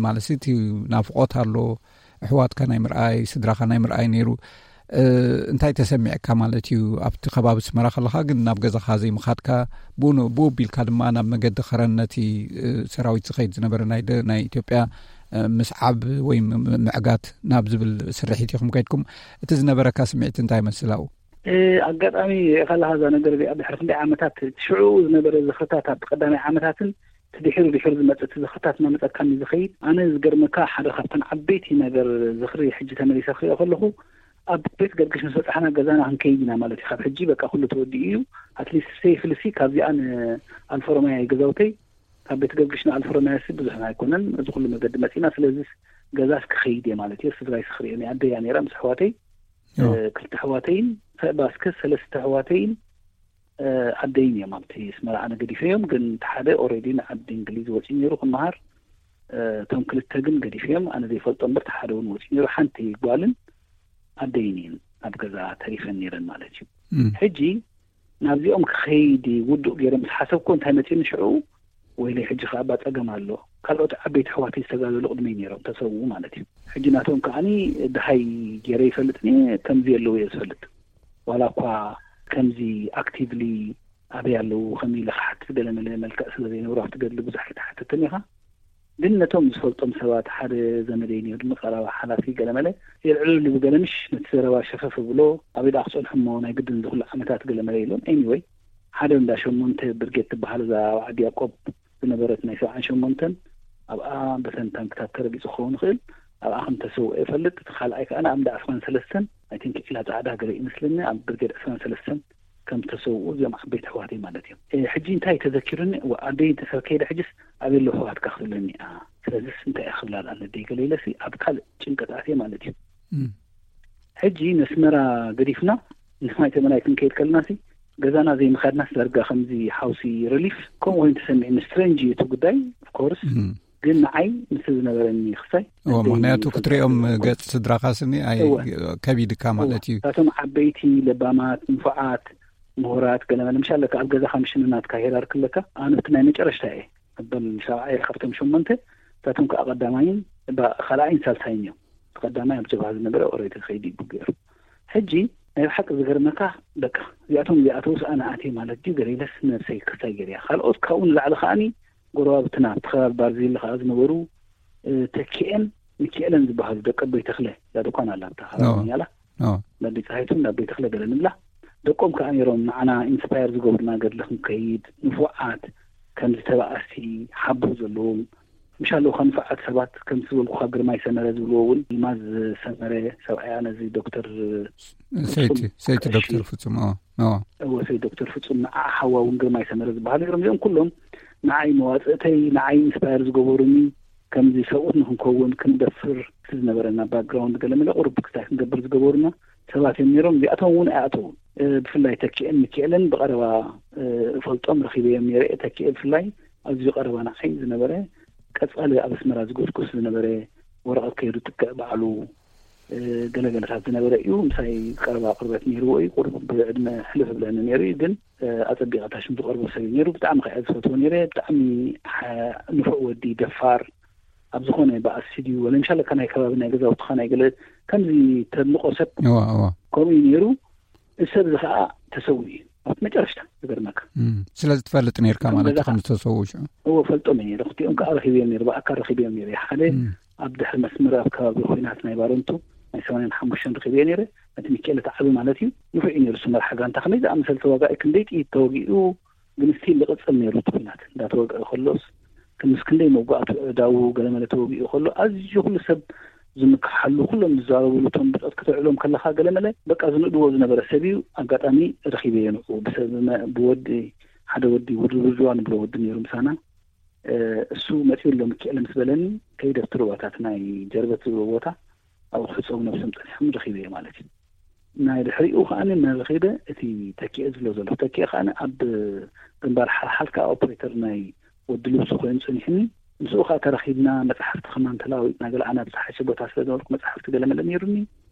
ማለት እቲ ናፍቖት ኣሎ፣ ኣሕዋትካ ናይ ምርኣይ፣ ስድራኻ ናይ ምርኣይ ነይሩ። እንታይ ተሰሚዕካ ማለት እዩ ኣብቲ ከባቢ ኣስመራ ከለኻ ግን ናብ ገዛኻ ዘይምኻድካ፣ ብኡ ብኡ ኣቢልካ ድማ ናብ መገዲ ከረን ነቲ ሰራዊት ዝኸይድ ዝነበረ ናይ ኢትዮጵያ ምስዓብ ወይ ምዕጋት ናብ ዝብል ስርሒት ኢኹም ከይድኩም። እቲ ዝነበረካ ስምዒት እንታይ ይመስል ኣብኡ? ኣጋጣሚ ሪኢኻ ኣለኻ እዛ ነገር እዚኣ ድሕሪ ክንደይ ዓመታት፣ እቲ ሽዑ ዝነበረ ዝኽርታት ኣብቲ ቀዳማይ ዓመታትን እቲ ድሒሩ ድሒሩ ዝመጽእ እቲ ዝኽርታት እናመጸካኒ ዝኸይድ። ኣነ ዝገርመካ ሓደ ካብተን ዓበይቲ ነገር ዝኽሪ ሕጂ ተመሊሰ ክሪኦ ከለኹ ኣብ ቤት ገርግሽ ምስ በጻሕና ገዛና ክንከይድ ኢና ማለት እዩ። ካብ ሕጂ በቃ ኩሉ ተወዲኡ እዩ። ኣትሊስት ሴፍሊ ሲ ካብዚኣ ንኣልፎሮማያ ገዛውተይ ካብ ቤት ገርግሽ ንኣልፎሮማያ ሲ ብዙሕ ኣይኮነን። እዚ ኩሉ መገዲ መጺና ስለዚ ገዛስ ክኸይድ እየ ማለት እየ። ስድራይ ስኽሪኦ ናይ ኣደያ ነይራ ምስ ኣሕዋተይ ክልተ ኣሕዋተይን ባስከ ሰለስተ ኣሕዋተይን ኣደይን እዮም ኣብቲ ኣስመራ ኣነ ገዲፈዮም። ግን እቲ ሓደ ኦሬዲ ንዓዲ እንግሊዝ ወፂኡ ነይሩ ክመሃር። እቶም ክልተ ግን ገዲፈዮም ኣነ ዘይፈልጦ እምበር እቲ ሓደ እውን ወፂኡ ነይሩ። ሓንቲ ጓልን ኣደይን እየን ኣብ ገዛ ተሪፈን ነይረን ማለት እዩ። ሕጂ ናብዚኦም ክኸይድ ውዱእ ገይረ ምስ ሓሰብኩ እንታይ መፂኡኒ ሽዑ፣ ወይለይ ሕጂ ከኣ እባ ጸገም ኣሎ። ካልኦት ዓበይቲ ኣሕዋተይ ዝተጋደሉ ቅድመይ ነይሮም ተሰውኡ ማለት እዩ። ሕጂ ናቶም ከኣኒ ደሃይ ገይረ ይፈልጥኒ ከምዚ የለዉ እየ ዝፈልጥ። ዋላ እኳ ከምዚ ኣክቲቭሊ ኣበይ ኣለዉ ከመይ ኢለ ክሓትት ገለ መለ መልክዕ ስለ ዘይነበሩ ኣብቲ ገድሊ ብዙሕ ኣይተሓተትን ኢኻ። ግን ነቶም ዝፈልጦም ሰባት ሓደ ዘመደይ ነይሩ ንቐረባ ሓላፊ ገለ መለ የልዕለሉ ብገለ ምሽ ነቲ ዘረባ ሸፈፍ ብሎ ኣበይ ደኣ ክጸንሑ እሞ ናይ ግድን ዝኹሉ ዓመታት ገለ መለ ኢሎም። ኤኒወይ ሓደ እንዳ ሸሞንተ ብርጌድ ትበሃል እዛ ኣብ ዓዲ ያቆብ ዝነበረት ናይ ሰብዓን ሸሞንተን ኣብኣ በተን ታንክታት ተረጊጹ ክኸውን ይኽእል ኣብኣ ከም ተሰውአ ይፈልጥ። እቲ ካልኣይ ከኣ ኣብ እንዳ ኣስራን ሰለስተን ኣይ ቲንክ ዒላ ጻዕዳ ገለ ይመስለኒ ኣብ ብርጌድ ዕስራን ሰለስተን ከም ተሰውኡ እዚኦም ዓበይቲ ኣሕዋተይ ማለት እዮም። ሕጂ እንታይ ተዘኪሩኒ ኣደይ እንተሰብ ከይደ ሕጅስ ኣበይ ኣለዉ ኣሕዋትካ ክትብለኒ እያ። ስለዚስ እንታይ እያ ክብላ ደኣ ነደይ ገለ ኢለሲ ኣብ ካልእ ጭንቀት ኣትየ ማለት እዩ። ሕጂ ነስመራ ገዲፍና ንማይ ተመናይ ክንከይድ ከለናሲ ገዛና ዘይምኻድናስ ዳርጋ ከምዚ ሓውሲ ሪሊፍ ከምኡ ኮይኑ ተሰሚዕኒ። ስትሬንጅ እዩ እቲ ጉዳይ ኦፍኮርስ፣ ግን ንዓይ ምስ ዝነበረኒ ክሳይ ምክንያቱ ክትሪኦም ገጽ ስድራኻ ስኒ ኣይ ከቢድካ ማለት እዩ። እሳቶም ዓበይቲ ለባማት ንፉዓት ምሁራት ገለመለ ምሻለካ ኣብ ገዛኻ ምሽንናትካ ሄራር ክለካ ኣነ እቲ ናይ መጨረሽታ እየ። መበል ሻብዓይ ካብቶም ሸሞንተ እሳቶም ከዓ ቀዳማይን ካልኣይን ሳልሳይን እዮም። ቀዳማይ ኣብ ጀብሃ ዝነበረ ኦሬዲ ከይዲ ይቡ ገይሩ። ሕጂ ናይ ብሓቂ ዝገርመካ በቃ እዚኣቶም እዚኣተውስ ኣነ ኣትየ ማለት ድዩ ገለ ኢለስ ነብሰይ ክሳይ ገይርያ። ካልኦት ካብኡ ንላዕሊ ከዓኒ ጎረባብትና ኣብቲ ከባቢ ባርዚሊ ከዓ ዝነበሩ ተኪኤን ሚኪኤለን ዝበሃሉ ደቂ ኣቦይ ተኽለ እዛ ድኳን ኣላ ኣብታ ከባቢ ያላ ናበይ ፀሃይቱን ናበይ ተኽለ ገለ ንብላ። ደቆም ከዓ ነይሮም ንዓና ኢንስፓየር ዝገብሩና ገድሊ ክንከይድ ንፉዓት ከምዚ ተባኣሲ ሓቦ ዘለዎም ምሻለውካ ንፉዓት ሰባት ከምቲ ዝበልኩኻ ግርማይ ሰመረ ዝብልዎ እውን ይልማዝ ሰመረ ሰብኣያ ነዚ ዶክተር ሰይቲ ሰይቲ ዶክተር ፍጹም እወ ሰይቲ ዶክተር ፍጹም ንዓ ሓዋ እውን ግርማይ ሰመረ ዝበሃሉ ነይሮም። እዚኦም ኩሎም ንዓይ መዋፅእተይ ንዓይ ኢንስፓየር ዝገበሩኒ ከምዚ ሰብኡት ንክንከውን ክንደፍር እቲ ዝነበረና ባክግራውንድ ገለ መለ ቁሩብ ክስታይ ክንገብር ዝገበሩና ሰባት እዮም ነይሮም። እዚኣቶም እውን ኣይኣተውን። ብፍላይ ተኪኤን ሚኪኤልን ብቐረባ እፈልጦም ረኺበዮም ነይረ። ተኪኤ ብፍላይ ኣዝዩ ቀረባ ንዓይ ዝነበረ ቀጻሊ ኣብ ኣስመራ ዝጉስጉስ ዝነበረ ወረቐት ከይዱ ጥቅዕ ባዕሉ ገለገለታት ዝነበረ እዩ። ምሳይ ቀረባ ቅርበት ነይርዎ እዩ። ቁሩብ ብዕድመ ሕልፍ ብለኒ ነይሩ እዩ ግን ኣጸቢቐ ታሽም ዝቐርቦ ሰብ እዩ ነይሩ። ብጣዕሚ ከኣ ዝፈትዎ ነይረ። ብጣዕሚ ንፉዕ ወዲ ደፋር ኣብ ዝኾነ ብኣሲ ድዩ ወለ ምሻለካ ናይ ከባቢ ናይ ገዛውትኻ ናይ ገለ ከምዚ ተድንቆ ሰብ ከምኡ እዩ ነይሩ። እዚ ሰብ እዚ ከዓ ተሰዊኡ እዩ። ኣብ መጨረሽታ ዝገርመካ። እም፣ ስለዚ ትፈልጥ ነርካ ከም ማለት እዩ፣ በዛ ከም ዝተሰውኡ ሽዑ? እዎ፣ ፈልጦም እየ ነይረ። ክልቲኦም ከዓ ረኺበዮም ነይረ፣ ብኣካል ረኺበዮም ነይረ። ሓደ እም። ኣብ ድሕሪ መስመር ኣብ ከባቢ ኹናት ናይ ባረንቱ ናይ ሰማንያን ሓሙሽተን ረኺበዮ ነይረ። ነቲ ሚካኤል እቲ ዓቢ ማለት እዩ፣ ንፉዕ እዩ ነይሩ። እሱ መርሓ ጋንታ ከመይ ዝኣመሰለ ተዋጋኢ፣ ክንደይ ጥይት ተወጊኡ፣ ግን ስቲል ዝቕጽል ነይሩ እቲ ኹናት። እንዳተወግአ ከሎስ፣ ምስ ክንደይ መጓእቱ፣ ኣእዳዉ ገለመለ ተወጊኡ ከሎ፣ ኣዝዩ ኩሉ ሰብ ዝምክሓሉ፣ ኩሎም ዝዛረብሉ፣ እቶም ብጾት ከተውዕሎም ከለኻ ገለመለ፣ በቃ ዝንእድዎ ዝነበረ ሰብ እዩ። ኣጋጣሚ ረኺበዮ ንዕኡ፣ ብሰብ መ-፣ ብወዲ፣ ሓደ ወዲ፣ ውድውድዋ ንብሎ ወዲ ነይሩ ምሳና። እ፣ እሱ መጺኡ ኣሎ ሚካኤል ምስ በለኒ፣ ከይደ ኣብቲ ሩባታት ናይ ጀርበት ዝብሎ ቦታ፣ ኣብኡ ክሕጸቡ ነብሶም ጸኒሖም ረኺበዮ ማለት እዩ። ናይ ድሕሪኡ ከኣ መን ረኺበ፣ እቲ ተኪኤ ዝብሎ ዘሎ። ተኪኤ ከኣ ኣብ ግንባር ሓልሓል ከኣ ኦፕሬተር ናይ ወዲ ልብሱ ኮይኑ ጸኒሕኒ። ምስኡ ከኣ ተራኺብና፣ መጽሓፍቲ ከማን ተለዋዊጥና፣ ገለ ኣነ ኣብ ዝሓሸ ቦታ ስለ ዝነበርኩ መጽሓፍቲ ገለመለ ነይሩኒ።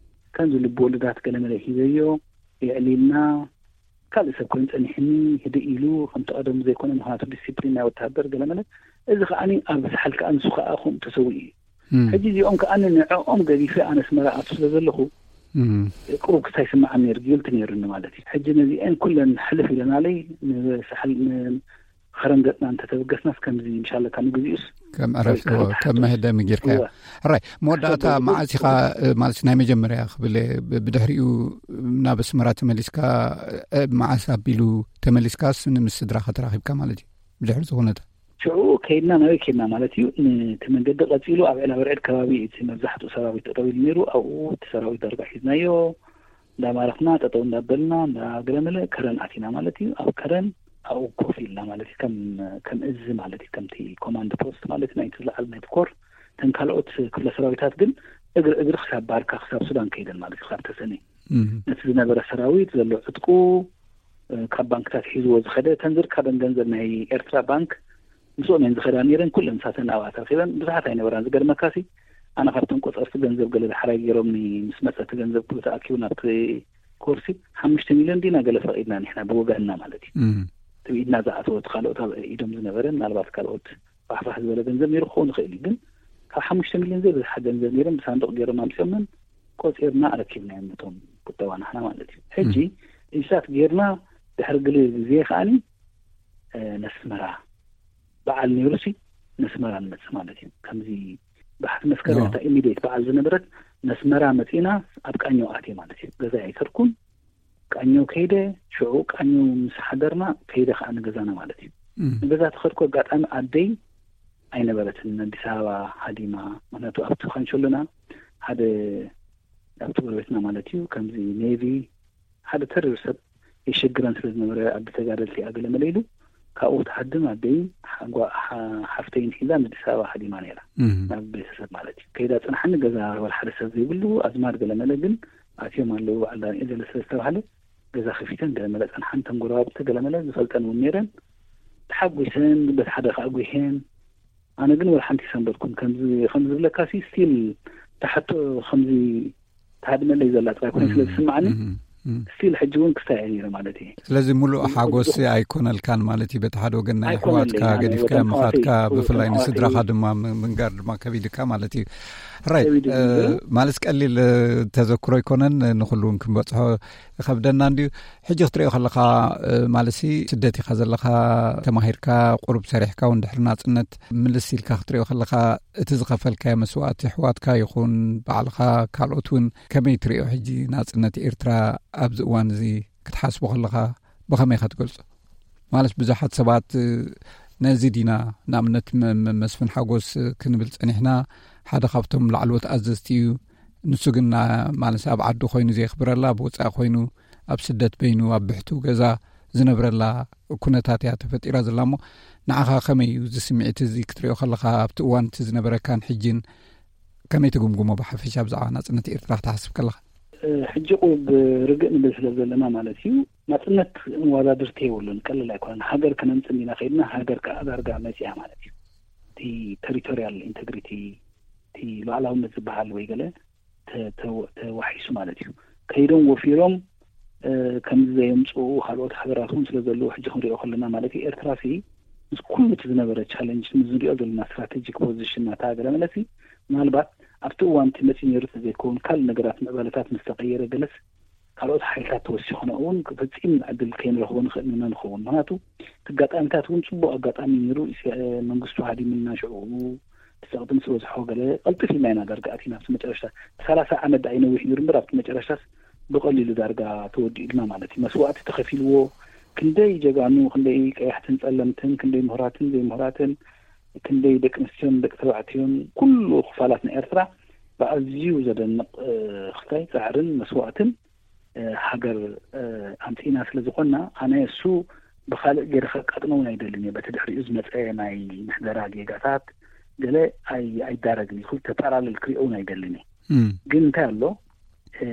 ከምዚ ልቢ ወለዳት ገለመለ ሂበዮ፣ የዕሊልና። ካልእ ሰብ ኮይኑ ጸኒሕኒ፣ ህድእ ኢሉ፣ ከምቲ ቀደሙ ዘይኮነ፣ ምኽንያቱ ዲሲፕሊን ናይ ወተሃደር ገለመለ። እዚ ከኣ ኣብ ዝሓል ከኣ ንሱ ከኣ ከምኡ ተሰዊኡ እዩ። እም። ሕጂ እዚኦም ከኣ ንዕኦም ገዲፈ ኣነ ኣስመራ ኣቱ ስለ ዘለኹ፣ እም። ቅሩብ ክስታይ ይስምዓኒ ነይሩ፣ ጊልቲ ነይሩኒ ማለት እዩ። ሕጂ ነዚአን ኩለን ሕልፍ ኢለናለይ፣ ንሳሕል-፣ ንኸረን ገጽና እንተተበገስናስ ከምዚ ምሻለካ ንግዚኡስ ከም ዕረፍቲ፣ ወይ እዎ፣ ከም መህደሚ ጌርካዮ። እወ። ሕራይ፣ መወዳእታ ሰበ-፣ መዓስ ኢኻ፣ እ፣ ማለት ናይ መጀመርያ ክብል እየ፣ ብ-፣ ብድሕሪኡ ናብ ኣስመራ ተመሊስካ፣ እ፣ መዓስ ኣቢሉ ተመሊስካስ ንምስ ስድራኻ ተራኺብካ ማለት እዩ? ብድሕሪ እዚ ኩነታት? ሽዑ ከይድና፣ ናበይ ከይድና ማለት እዩ? ነቲ መንገዲ ቀጺሉ ኣብ ዕላብርዕድ ከባቢ እቲ መብዛሕትኡ ሰራዊት ጠጠው ኢሉ ነይሩ። ኣብኡ እቲ ሰራዊት ዳርጋ ሒዝናዮ፣ እንዳማረኽና፣ ጠጠው እንዳበልና፣ እንዳገለመለ ከረን ኣቲና ማለት እዩ። ኣብ ከረን ኣብኡ ኮፍ ኢልና ማለት እዩ። ከም፣ ከም እዚ ማለት እዩ፣ ከምቲ ኮማንድ ፖስት ማለት እዩ፣ ናይቲ ዝለዓለ ናይቲ ኮር። እተን ካልኦት ክፍለ ሰራዊታት ግን እግሪ እግሪ ክሳብ ባርካ፣ ክሳብ ሱዳን ከይደን ማለት እዩ፣ ክሳብ ተሰነይ። እም። ነቲ ዝነበረ ሰራዊት ዘሎ ዕጥቁ፣ እ፣ ካብ ባንክታት ሒዝዎ ዝኸደ፣ እተን ዝርከበን ገንዘብ ናይ ኤርትራ ባንክ ምስኦም እየን ዝኸዳ ነይረን። ኩለን ንሳተን ኣብኣ ተረኺበን፣ ብዙሓት ኣይነበራን። ዝገርመካሲ፣ ኣነ ካብተን ቆጸርቲ ገንዘብ ገለ ዳሕራይ ገይሮምኒ፣ ምስ መጸ እቲ ገንዘብ ኩሉ ተኣኪቡ ናብቲ ኮርሲ ሓሙሽተ ሚልዮን ዲና ገለ ፈቒድና ንሕና ብወገንና ማለት እዩ። እም። እቲ ብኢድና ዝኣተወ፣ እቲ ካልኦት ኣብ ኢዶም ዝነበረ፣ ምናልባት ካልኦት ፋሕፋሕ ዝበለ ገንዘብ ነይሩ ክኸውን ይኽእል እዩ። ግን ካብ ሓሙሽተ ሚልዮን ዘይብዝሓ ገንዘብ ነይሮም ብሳንዱቕ ገይሮም ኣምጺኦምን ቆጺርና ኣረኪብናዮም ነቶም ቁጠባ ናህና ማለት እዩ። ሕጂ እም። ኢንሳት ጌርና ድሕሪ ግሊ ግዜ ከኣኒ፣ እ፣ ነስመራ በዓል ነይሩሲ ነስመራ ንመጽእ ማለት እዩ። ከምዚ ባሕቲ መስከረም ኖ። እታ ኢሚዲየት በዓል ዝነበረት ነስመራ መጺና ኣብ ቃኘው ኣትየ ማለት እዩ። ገዛ ኣይከድኩን። ቃኘው ከይደ፣ ሽዑ ቃኘው ምስ ሓደርና ከይደ ከኣ ንገዛና ማለት እዩ። እም። ንገዛ ተኸድኩ፣ ኣጋጣሚ ኣደይ ኣይነበረትን፣ ኣዲስ ኣበባ ሃዲማ። ምኽንያቱ ኣብቲ ካንሸሎና ሓደ፣ ኣብቲ ጎረቤትና ማለት እዩ፣ ከምዚ ኔቪ ሓደ ተሪር ሰብ የሸግረን ስለ ዝነበረ፣ ኣዲ ተጋደልቲ እያ ገለ መለ ኢሉ፣ ካብኡ ትሃድም ኣደይ ሓጓ-፣ ሓ-፣ ሓፍተይን ሒዛ ንኣዲስ ኣበባ ሃዲማ ነይራ። እም። ናብ ቤተሰብ ማለት እዩ። ከይዳ ጽንሓኒ፣ ገዛ ወላ ሓደ ሰብ ዘይብሉ፣ ኣዝማድ ገለ መለ ግን ኣትዮም ኣለዉ፣ በዓል ዳንኤል ገለ ስለ ዝተባህለ፣ ገዛ ከፊተን ገለ መለ ጸንሓን፣ እተን ጎረባብቲ ገለ መለ ዝፈልጠን እውን ነይረን። ተሓጒሰን፣ በቲ ሓደ ከኣ ጒሄን። ኣነ ግን ወላ ሓንቲ ይሰንበድኩን። ከምዚ፣ ከምዚ ዝብለካ ሲ፣ ስቲል ተሓቶ ከምዚ ተሃድመለይ ዘላ ጥራይ ኮይኑ ስለ እም፣ ዝስምዓኒ፣ እም፣ እም። ስቲል ሕጂ እውን ክስታይ እየ ነይረ ማለት እዩ። ስለዚ ሙሉእ ሓጎስ ኣይኮነልካን ማለት እዩ። በቲ ሓደ ወገን ናይ ኣይኮነለይ፣ ኣሕዋትካ ኣነ ገዲፍካ ወገን ምኻድካ፣ ኣሕዋተይ፣ ብፍላይ ወገን ኣሕዋተይ ንስድራኻ እውን ድማ ም-፣ ምንጋር ድማ ከቢድካ ማለት እዩ። ራይት፣ ከቢድ እዩ እ፣ ነይሩ። ማለት ቀሊል፣ እ፣ ተዘክሮ ኣይኮነን፣ ንኹሉ እውን ክንበጽሖ ይኸብደና እንድዩ። ሕጂ ክትሪኦ ከለኻ፣ እ፣ ማለትሲ ስደት ኢኻ ዘለኻ፣ ተማሂርካ፣ ቁሩብ ሰሪሕካ እውን ድሕሪ ናጽነት ምልስ ኢልካ ክትሪኦ ከለኻ፣ እቲ ዝኸፈልካዮ መስዋእቲ፣ ኣሕዋትካ ይኹን ባዕልኻ፣ ካልኦት እውን ከመይ ትሪኦ? ሕጂ ናጽነት ኤርትራ ኣብዚ እዋን እዚ ክትሓስቦ ከለኻ ብኸመይ ኢኻ ትገልጾ? ማለት ብዙሓት ሰባት፣ እ፣ ነዚ ዲና፣ ንኣብነት መ-፣ መ-፣ መስፍን ሓጎስ፣ እ፣ ክንብል ጸኒሕና፣ ሓደ ካብቶም ላዕለዎት ኣዘዝቲ እዩ። ንሱ ግን ና-፣ ማለት ኣብ ዓዱ ኮይኑ ዘየኽብረላ፣ ኣብ ወጻኢ ኮይኑ ኣብ ስደት በይኑ ኣብ ብሕቱ ገዛ ዝነብረላ ኩነታት እያ ተፈጢራ ዘላ። እሞ ንዓኻ ከመይ እዩ እዚ ስምዒት እዚ ክትሪኦ ከለኻ፣ ኣብቲ እዋን እቲ ዝነበረካን ሕጂን ከመይ ትግምግሞ ብሓፈሻ ብዛዕባ ናጽነት ኤርትራ ክትሓስብ ከለኻ? እ፣ ሕጂ ቁሩብ ርግእ ንብል ስለ ዘለና ማለት እዩ። ናጽነት መወዳድርቲ የብሉን፣ ቀለል ኣይኮነን። ሃገር ከነምጽእ ኢና ከይድና፣ ሃገር ከኣ ዳርጋ መጺኣ ማለት እዩ። እቲ ቴሪቶሪያል ኢንተግሪቲ፣ እቲ ሉዓላውነት ዝበሃል ወይ ገለ ተ-፣ ተ-፣ ተዋሒሱ ማለት እዩ። ከይዶም ወፊሮም፣ እ፣ ከምዚ ዘየምጽኡ ካልኦት ሃገራት እውን ስለ ዘለዉ፣ ሕጂ ክንሪኦ ከለና ማለት እዩ፣ ኤርትራ ሲ ምስ ኩሉ እቲ ዝነበረ ቻለንጅ፣ ምስ ንሪኦ ዘለና ስትራቴጂክ ፖዚሽን ናታ ገለ መለሲ፣ ምናልባት ኣብቲ እዋን እቲ መጺኡ ነይሩ ተዘይከውን፣ ካልእ ነገራት ምዕባለታት ምስ ተቐየረ ገለስ፣ ካልኦት ሓይልታት ተወሲኾና እውን ፈጺም ዕድል ከይንረኽቦ ንኽእል ኢና ንኸውን። ምኽንያቱ እቲ ኣጋጣሚታት እውን ጽቡቕ ኣጋጣሚ ነይሩ። ኢስ-፣ መንግስቱ ሃዲምና ሽዑ እቲ ጸቕጢ ምስ በዝሖ ገለ ቀልጥፍ ኢልና ኢና ዳርጋ ኣቲና ኣብቲ መጨረሽታ። ሰላሳ ዓመት ደኣ ይነዊሕ ነይሩ እምበር ኣብቲ መጨረሽታስ ብቐሊሉ ዳርጋ ተወዲኡልና ማለት እዩ። መስዋእቲ ተኸፊልዎ፣ ክንደይ ጀጋኑ፣ ክንደይ ቀያሕትን ጸለምትን፣ ክንደይ ምሁራትን ዘይምሁራትን፣ ክንደይ ደቂ ኣንስትዮን ደቂ ተባዕትዮን፣ ኩሉ ክፋላት ናይ ኤርትራ ብኣዝዩ ዘደንቕ፣ እ፣ ክታይ ጻዕርን መስዋእትን፣ እ፣ ሃገር፣ እ፣ ኣምጺእና ስለ ዝኾንና፣ ኣነ እሱ ብኻልእ ገይረ ከቃጥኖ እውን ኣይደልን እየ። በቲ ድሕሪኡ ዝመጸ ናይ ምሕደራ ጌጋታት ገለ ኣይ-፣ ኣይዳረግን እየ። ክልተ ፓራለል ክሪኦ እውን ኣይደልን እየ። እም። ግን እንታይ ኣሎ፣ እ፣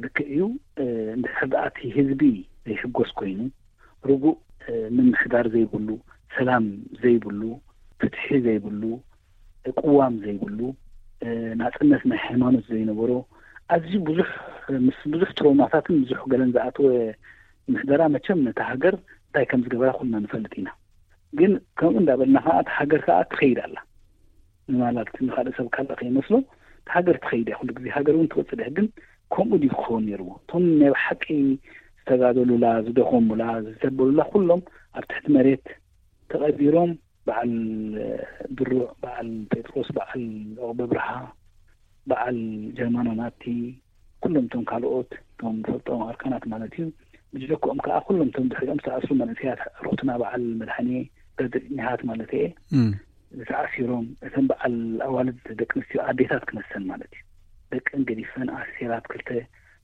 ልክዕ እዩ፣ እ፣ እንድሕር ደኣ እቲ ህዝቢ ዘይሕጎስ ኮይኑ፣ ርጉእ፣ እ፣ ምምሕዳር ዘይብሉ፣ ሰላም ዘይብሉ፣ ፍትሒ ዘይብሉ፣ እ፣ ቅዋም ዘይብሉ፣ እ፣ ናጽነት ናይ ሃይማኖት ዘይነበሮ፣ ኣዝዩ ብዙሕ፣ ምስ ብዙሕ ትሮማታትን ብዙሕ ገለን ዝኣተወ ምሕደራ መቸም ነታ ሃገር እንታይ ከም ዝገበራ ኩልና ንፈልጥ ኢና። ግን ከምኡ እንዳበልና ከኣ እታ ሃገር ከኣ ትኸይድ ኣላ። ንማላት ንኻልእ ሰብ ካልእ ከይመስሎ፣ እታ ሃገር ትኸይድ እያ። ኩሉ ግዜ ሃገር እውን ትቕጽል እያ። ግን ከምኡ ድዩ ክኸውን ነይርዎ? እቶም ናይ ብሓቂ ዝተጋደሉላ፣ ዝደኸሙላ፣ ዝተበሉላ ኩሎም ኣብ ትሕቲ መሬት ተቐቢሮም፣ በዓል ድሩዕ፣ በዓል ጴጥሮስ፣ በዓል ዑቕበ ብርሃ፣ በዓል ጀርማኖ ናቲ፣ ኩሎም እቶም ካልኦት፣ እቶም ንፈልጦም ኣርካናት ማለት እዩ። ብጀክኦም ከኣ ኩሎም እቶም ድሕሪኦም ዝተኣስሩ መንእሰያት፣ ሩኽትና በዓል መድሃኔ፣ በድሪ ኒሃት ማለት እየ፣ እም። ዝተኣሲሮም፣ እተን በዓል ኣዋልድ ደቂ ኣንስትዮ ኣዴታት ክመሰን ማለት እዩ። ደቀን ገዲፈን ኣሲራት ክልተ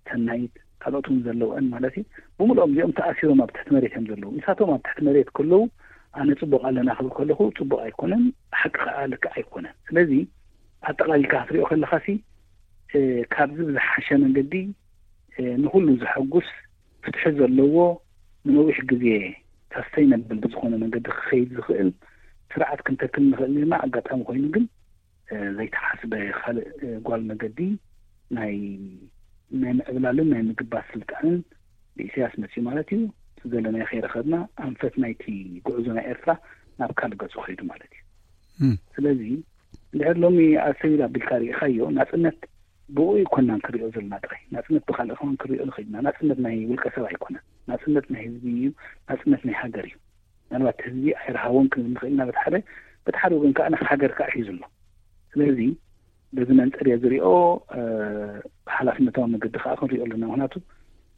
ሰናይት፣ ካልኦት እውን ዘለውአን ማለት እዩ። ብምልኦም እዚኦም ተኣሲሮም ኣብ ትሕቲ መሬት እዮም ዘለዉ። ንሳቶም ኣብ ትሕቲ መሬት ከለዉ ኣነ ጽቡቕ ኣለና ክብል ከለኹ ጽቡቕ ኣይኮነን፣ ሓቂ ከኣ ልክዕ ኣይኮነን። ስለዚ ኣጠቓሊልካ ክትሪኦ ከለኻሲ፣ እ፣ ካብዚ ብዝሓሸ መንገዲ፣ እ፣ ንኹሉ ዘሐጉስ፣ ፍትሒ ዘለዎ፣ ንነዊሕ ግዜ ሳስተይነብል ብዝኾነ መንገዲ ክኸይድ ዝኽእል ስርዓት ክንተክል ንኽእል ነርና። ኣጋጣሚ ኮይኑ ግን፣ እ፣ ዘይተሓስበ ካልእ፣ እ፣ ጓል መገዲ ናይ፣ ናይ ምዕብላልን ናይ ምግባር ስልጣንን ብኢሳያስ መጽዩ ማለት እዩ። እቲ ዘለናዮ ከይረኸብና ኣንፈት ናይቲ ጉዕዞ ናይ ኤርትራ ናብ ካልእ ገጹ ከይዱ ማለት እዩ። እም። ስለዚ እንድሕር ሎሚ ኣሰቢል ኣቢልካ ርኢኻዮ፣ ናጽነት ብኡ ኣይኮናን ክሪኦ ዘለና ጥራይ። ናጽነት ብኻልእ ከማን ክሪኦ ንኽእል ኢና። ናጽነት ናይ ውልቀ ሰብ ኣይኮነን። ናጽነት ናይ ህዝቢ እዩ። ናጽነት ናይ ሃገር እዩ። ምናልባት ህዝቢ ኣይረሃቦን ክንብል ንኽእል ኢና በቲ ሓደ፣ በቲ ሓደ ወገን ከኣ ሃገር ከኣ ሒዙ ኣሎ። ስለዚ በዚ መንጽር እየ ዝሪኦ፣ እ፣ ብሓላፍነታዊ መገዲ ከኣ ክንሪኦ ኣለና። ምኽንያቱ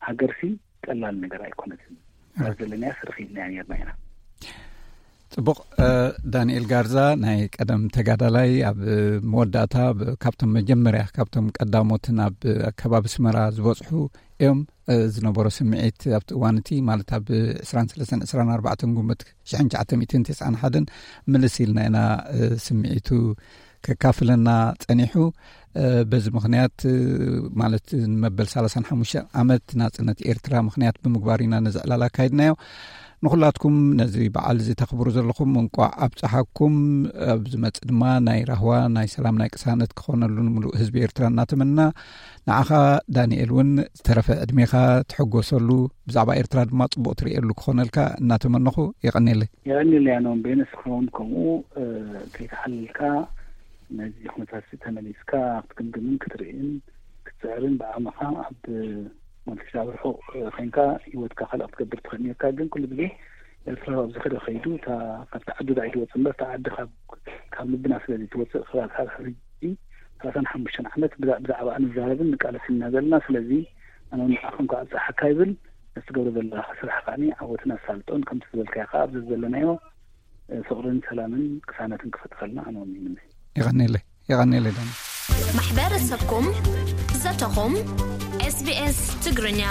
ሃገርሲ ቀላል ነገር ኣይኮነትን። እወ። ኣብ ዘለናያ ስርኺ ኢልና ነርና ኢና። ጽቡቕ፣ እ፣ ዳንኤል ጋርዛ ናይ ቀደም ተጋዳላይ ኣብ መወዳእታ ብ-፣ ካብቶም መጀመርያ፣ ካብቶም ቀዳሞትን ኣብ ከባቢ ኣስመራ ዝበጽሑ እዮም። እ፣ ዝነበሮ ስምዒት ኣብቲ እዋን እቲ ማለት ኣብ ዕስራን ሰለስተን ዕስራን ኣርባዕተን ግንቦት ሽሕን ትሽዓተ ሚእትን ተስዓን ሓደን ምልስ ኢልና ኢና፣ እ፣ ስምዒቱ ከካፍለና ጸኒሑ። እ፣ በዚ ምኽንያት፣ እ፣ ማለት ንመበል ሰላሳን ሓሙሽተን ዓመት ናጽነት ኤርትራ ምኽንያት ብምግባር ኢና ነዚ ዕላል ኣካይድናዮ። ንኹላትኩም ነዚ በዓል እዚ ተኽብሩ ዘለኹም እንቋዕ ኣብጽሓኩም። ኣብ ዝመጽእ ድማ ናይ ራህዋ፣ ናይ ሰላም፣ ናይ ቅሳነት ክኾነሉ ንምሉእ ህዝቢ ኤርትራ እናተመና፣ ንዓኻ ዳንኤል እውን ዝተረፈ ዕድሜኻ ትሕጎሰሉ፣ ብዛዕባ ኤርትራ ድማ ጽቡቕ ትርእየሉ ክኾነልካ እናተመነኹ የቐንየለይ። የቐንየለይ ኣነ እውን በየነ ስኻ እውን ከምኡ፣ እ፣ ከይተሓለልካ ነዚ ኩነታት ተመሊስካ ክትግምግምን ክትርእን ክትጽዕርን ብዓቕምኻ ኣብ ማለት ኣብ ርሑቕ ኮይንካ ህይወትካ ካልእ ክትገብር ትኽእል ነርካ። ግን ኩሉ ግዜ ኤርትራዊ ኣብ ዝኸደ ከይዱ እታ ካብቲ ዓዱ ዳኣ ኣይትወጽእ እምበር እታ ዓዲ ካብ ካብ ልብና ስለ ዘይትወጽእ ክሳብ ካብ ሕጂ ሰላሳን ሓሙሽተን ዓመት ብዛ-፣ ብዛዕባኣ ንዛረብን ንቃለስን ኢና ዘለና። ስለዚ ኣነ እውን ንዓኹም ክኣ ኣብጽሓካ ይብል። ነቲ ትገብሮ ዘለኻ ስራሕ ከኣ ዓወትን ኣሳልጦን ከምቲ ዝበልካዮ ከኣ ኣብዚ ዘለናዮ ፍቕርን ሰላምን ቅሳነትን ክፈጥረልና ኣነ እውን ይምነ። የቐንየለይ፣ የቐንየለይ ዳኒ። ማሕበረሰብኩም፣ ዘተኹም፣ ኤስ ቢ ኤስ ትግርኛ።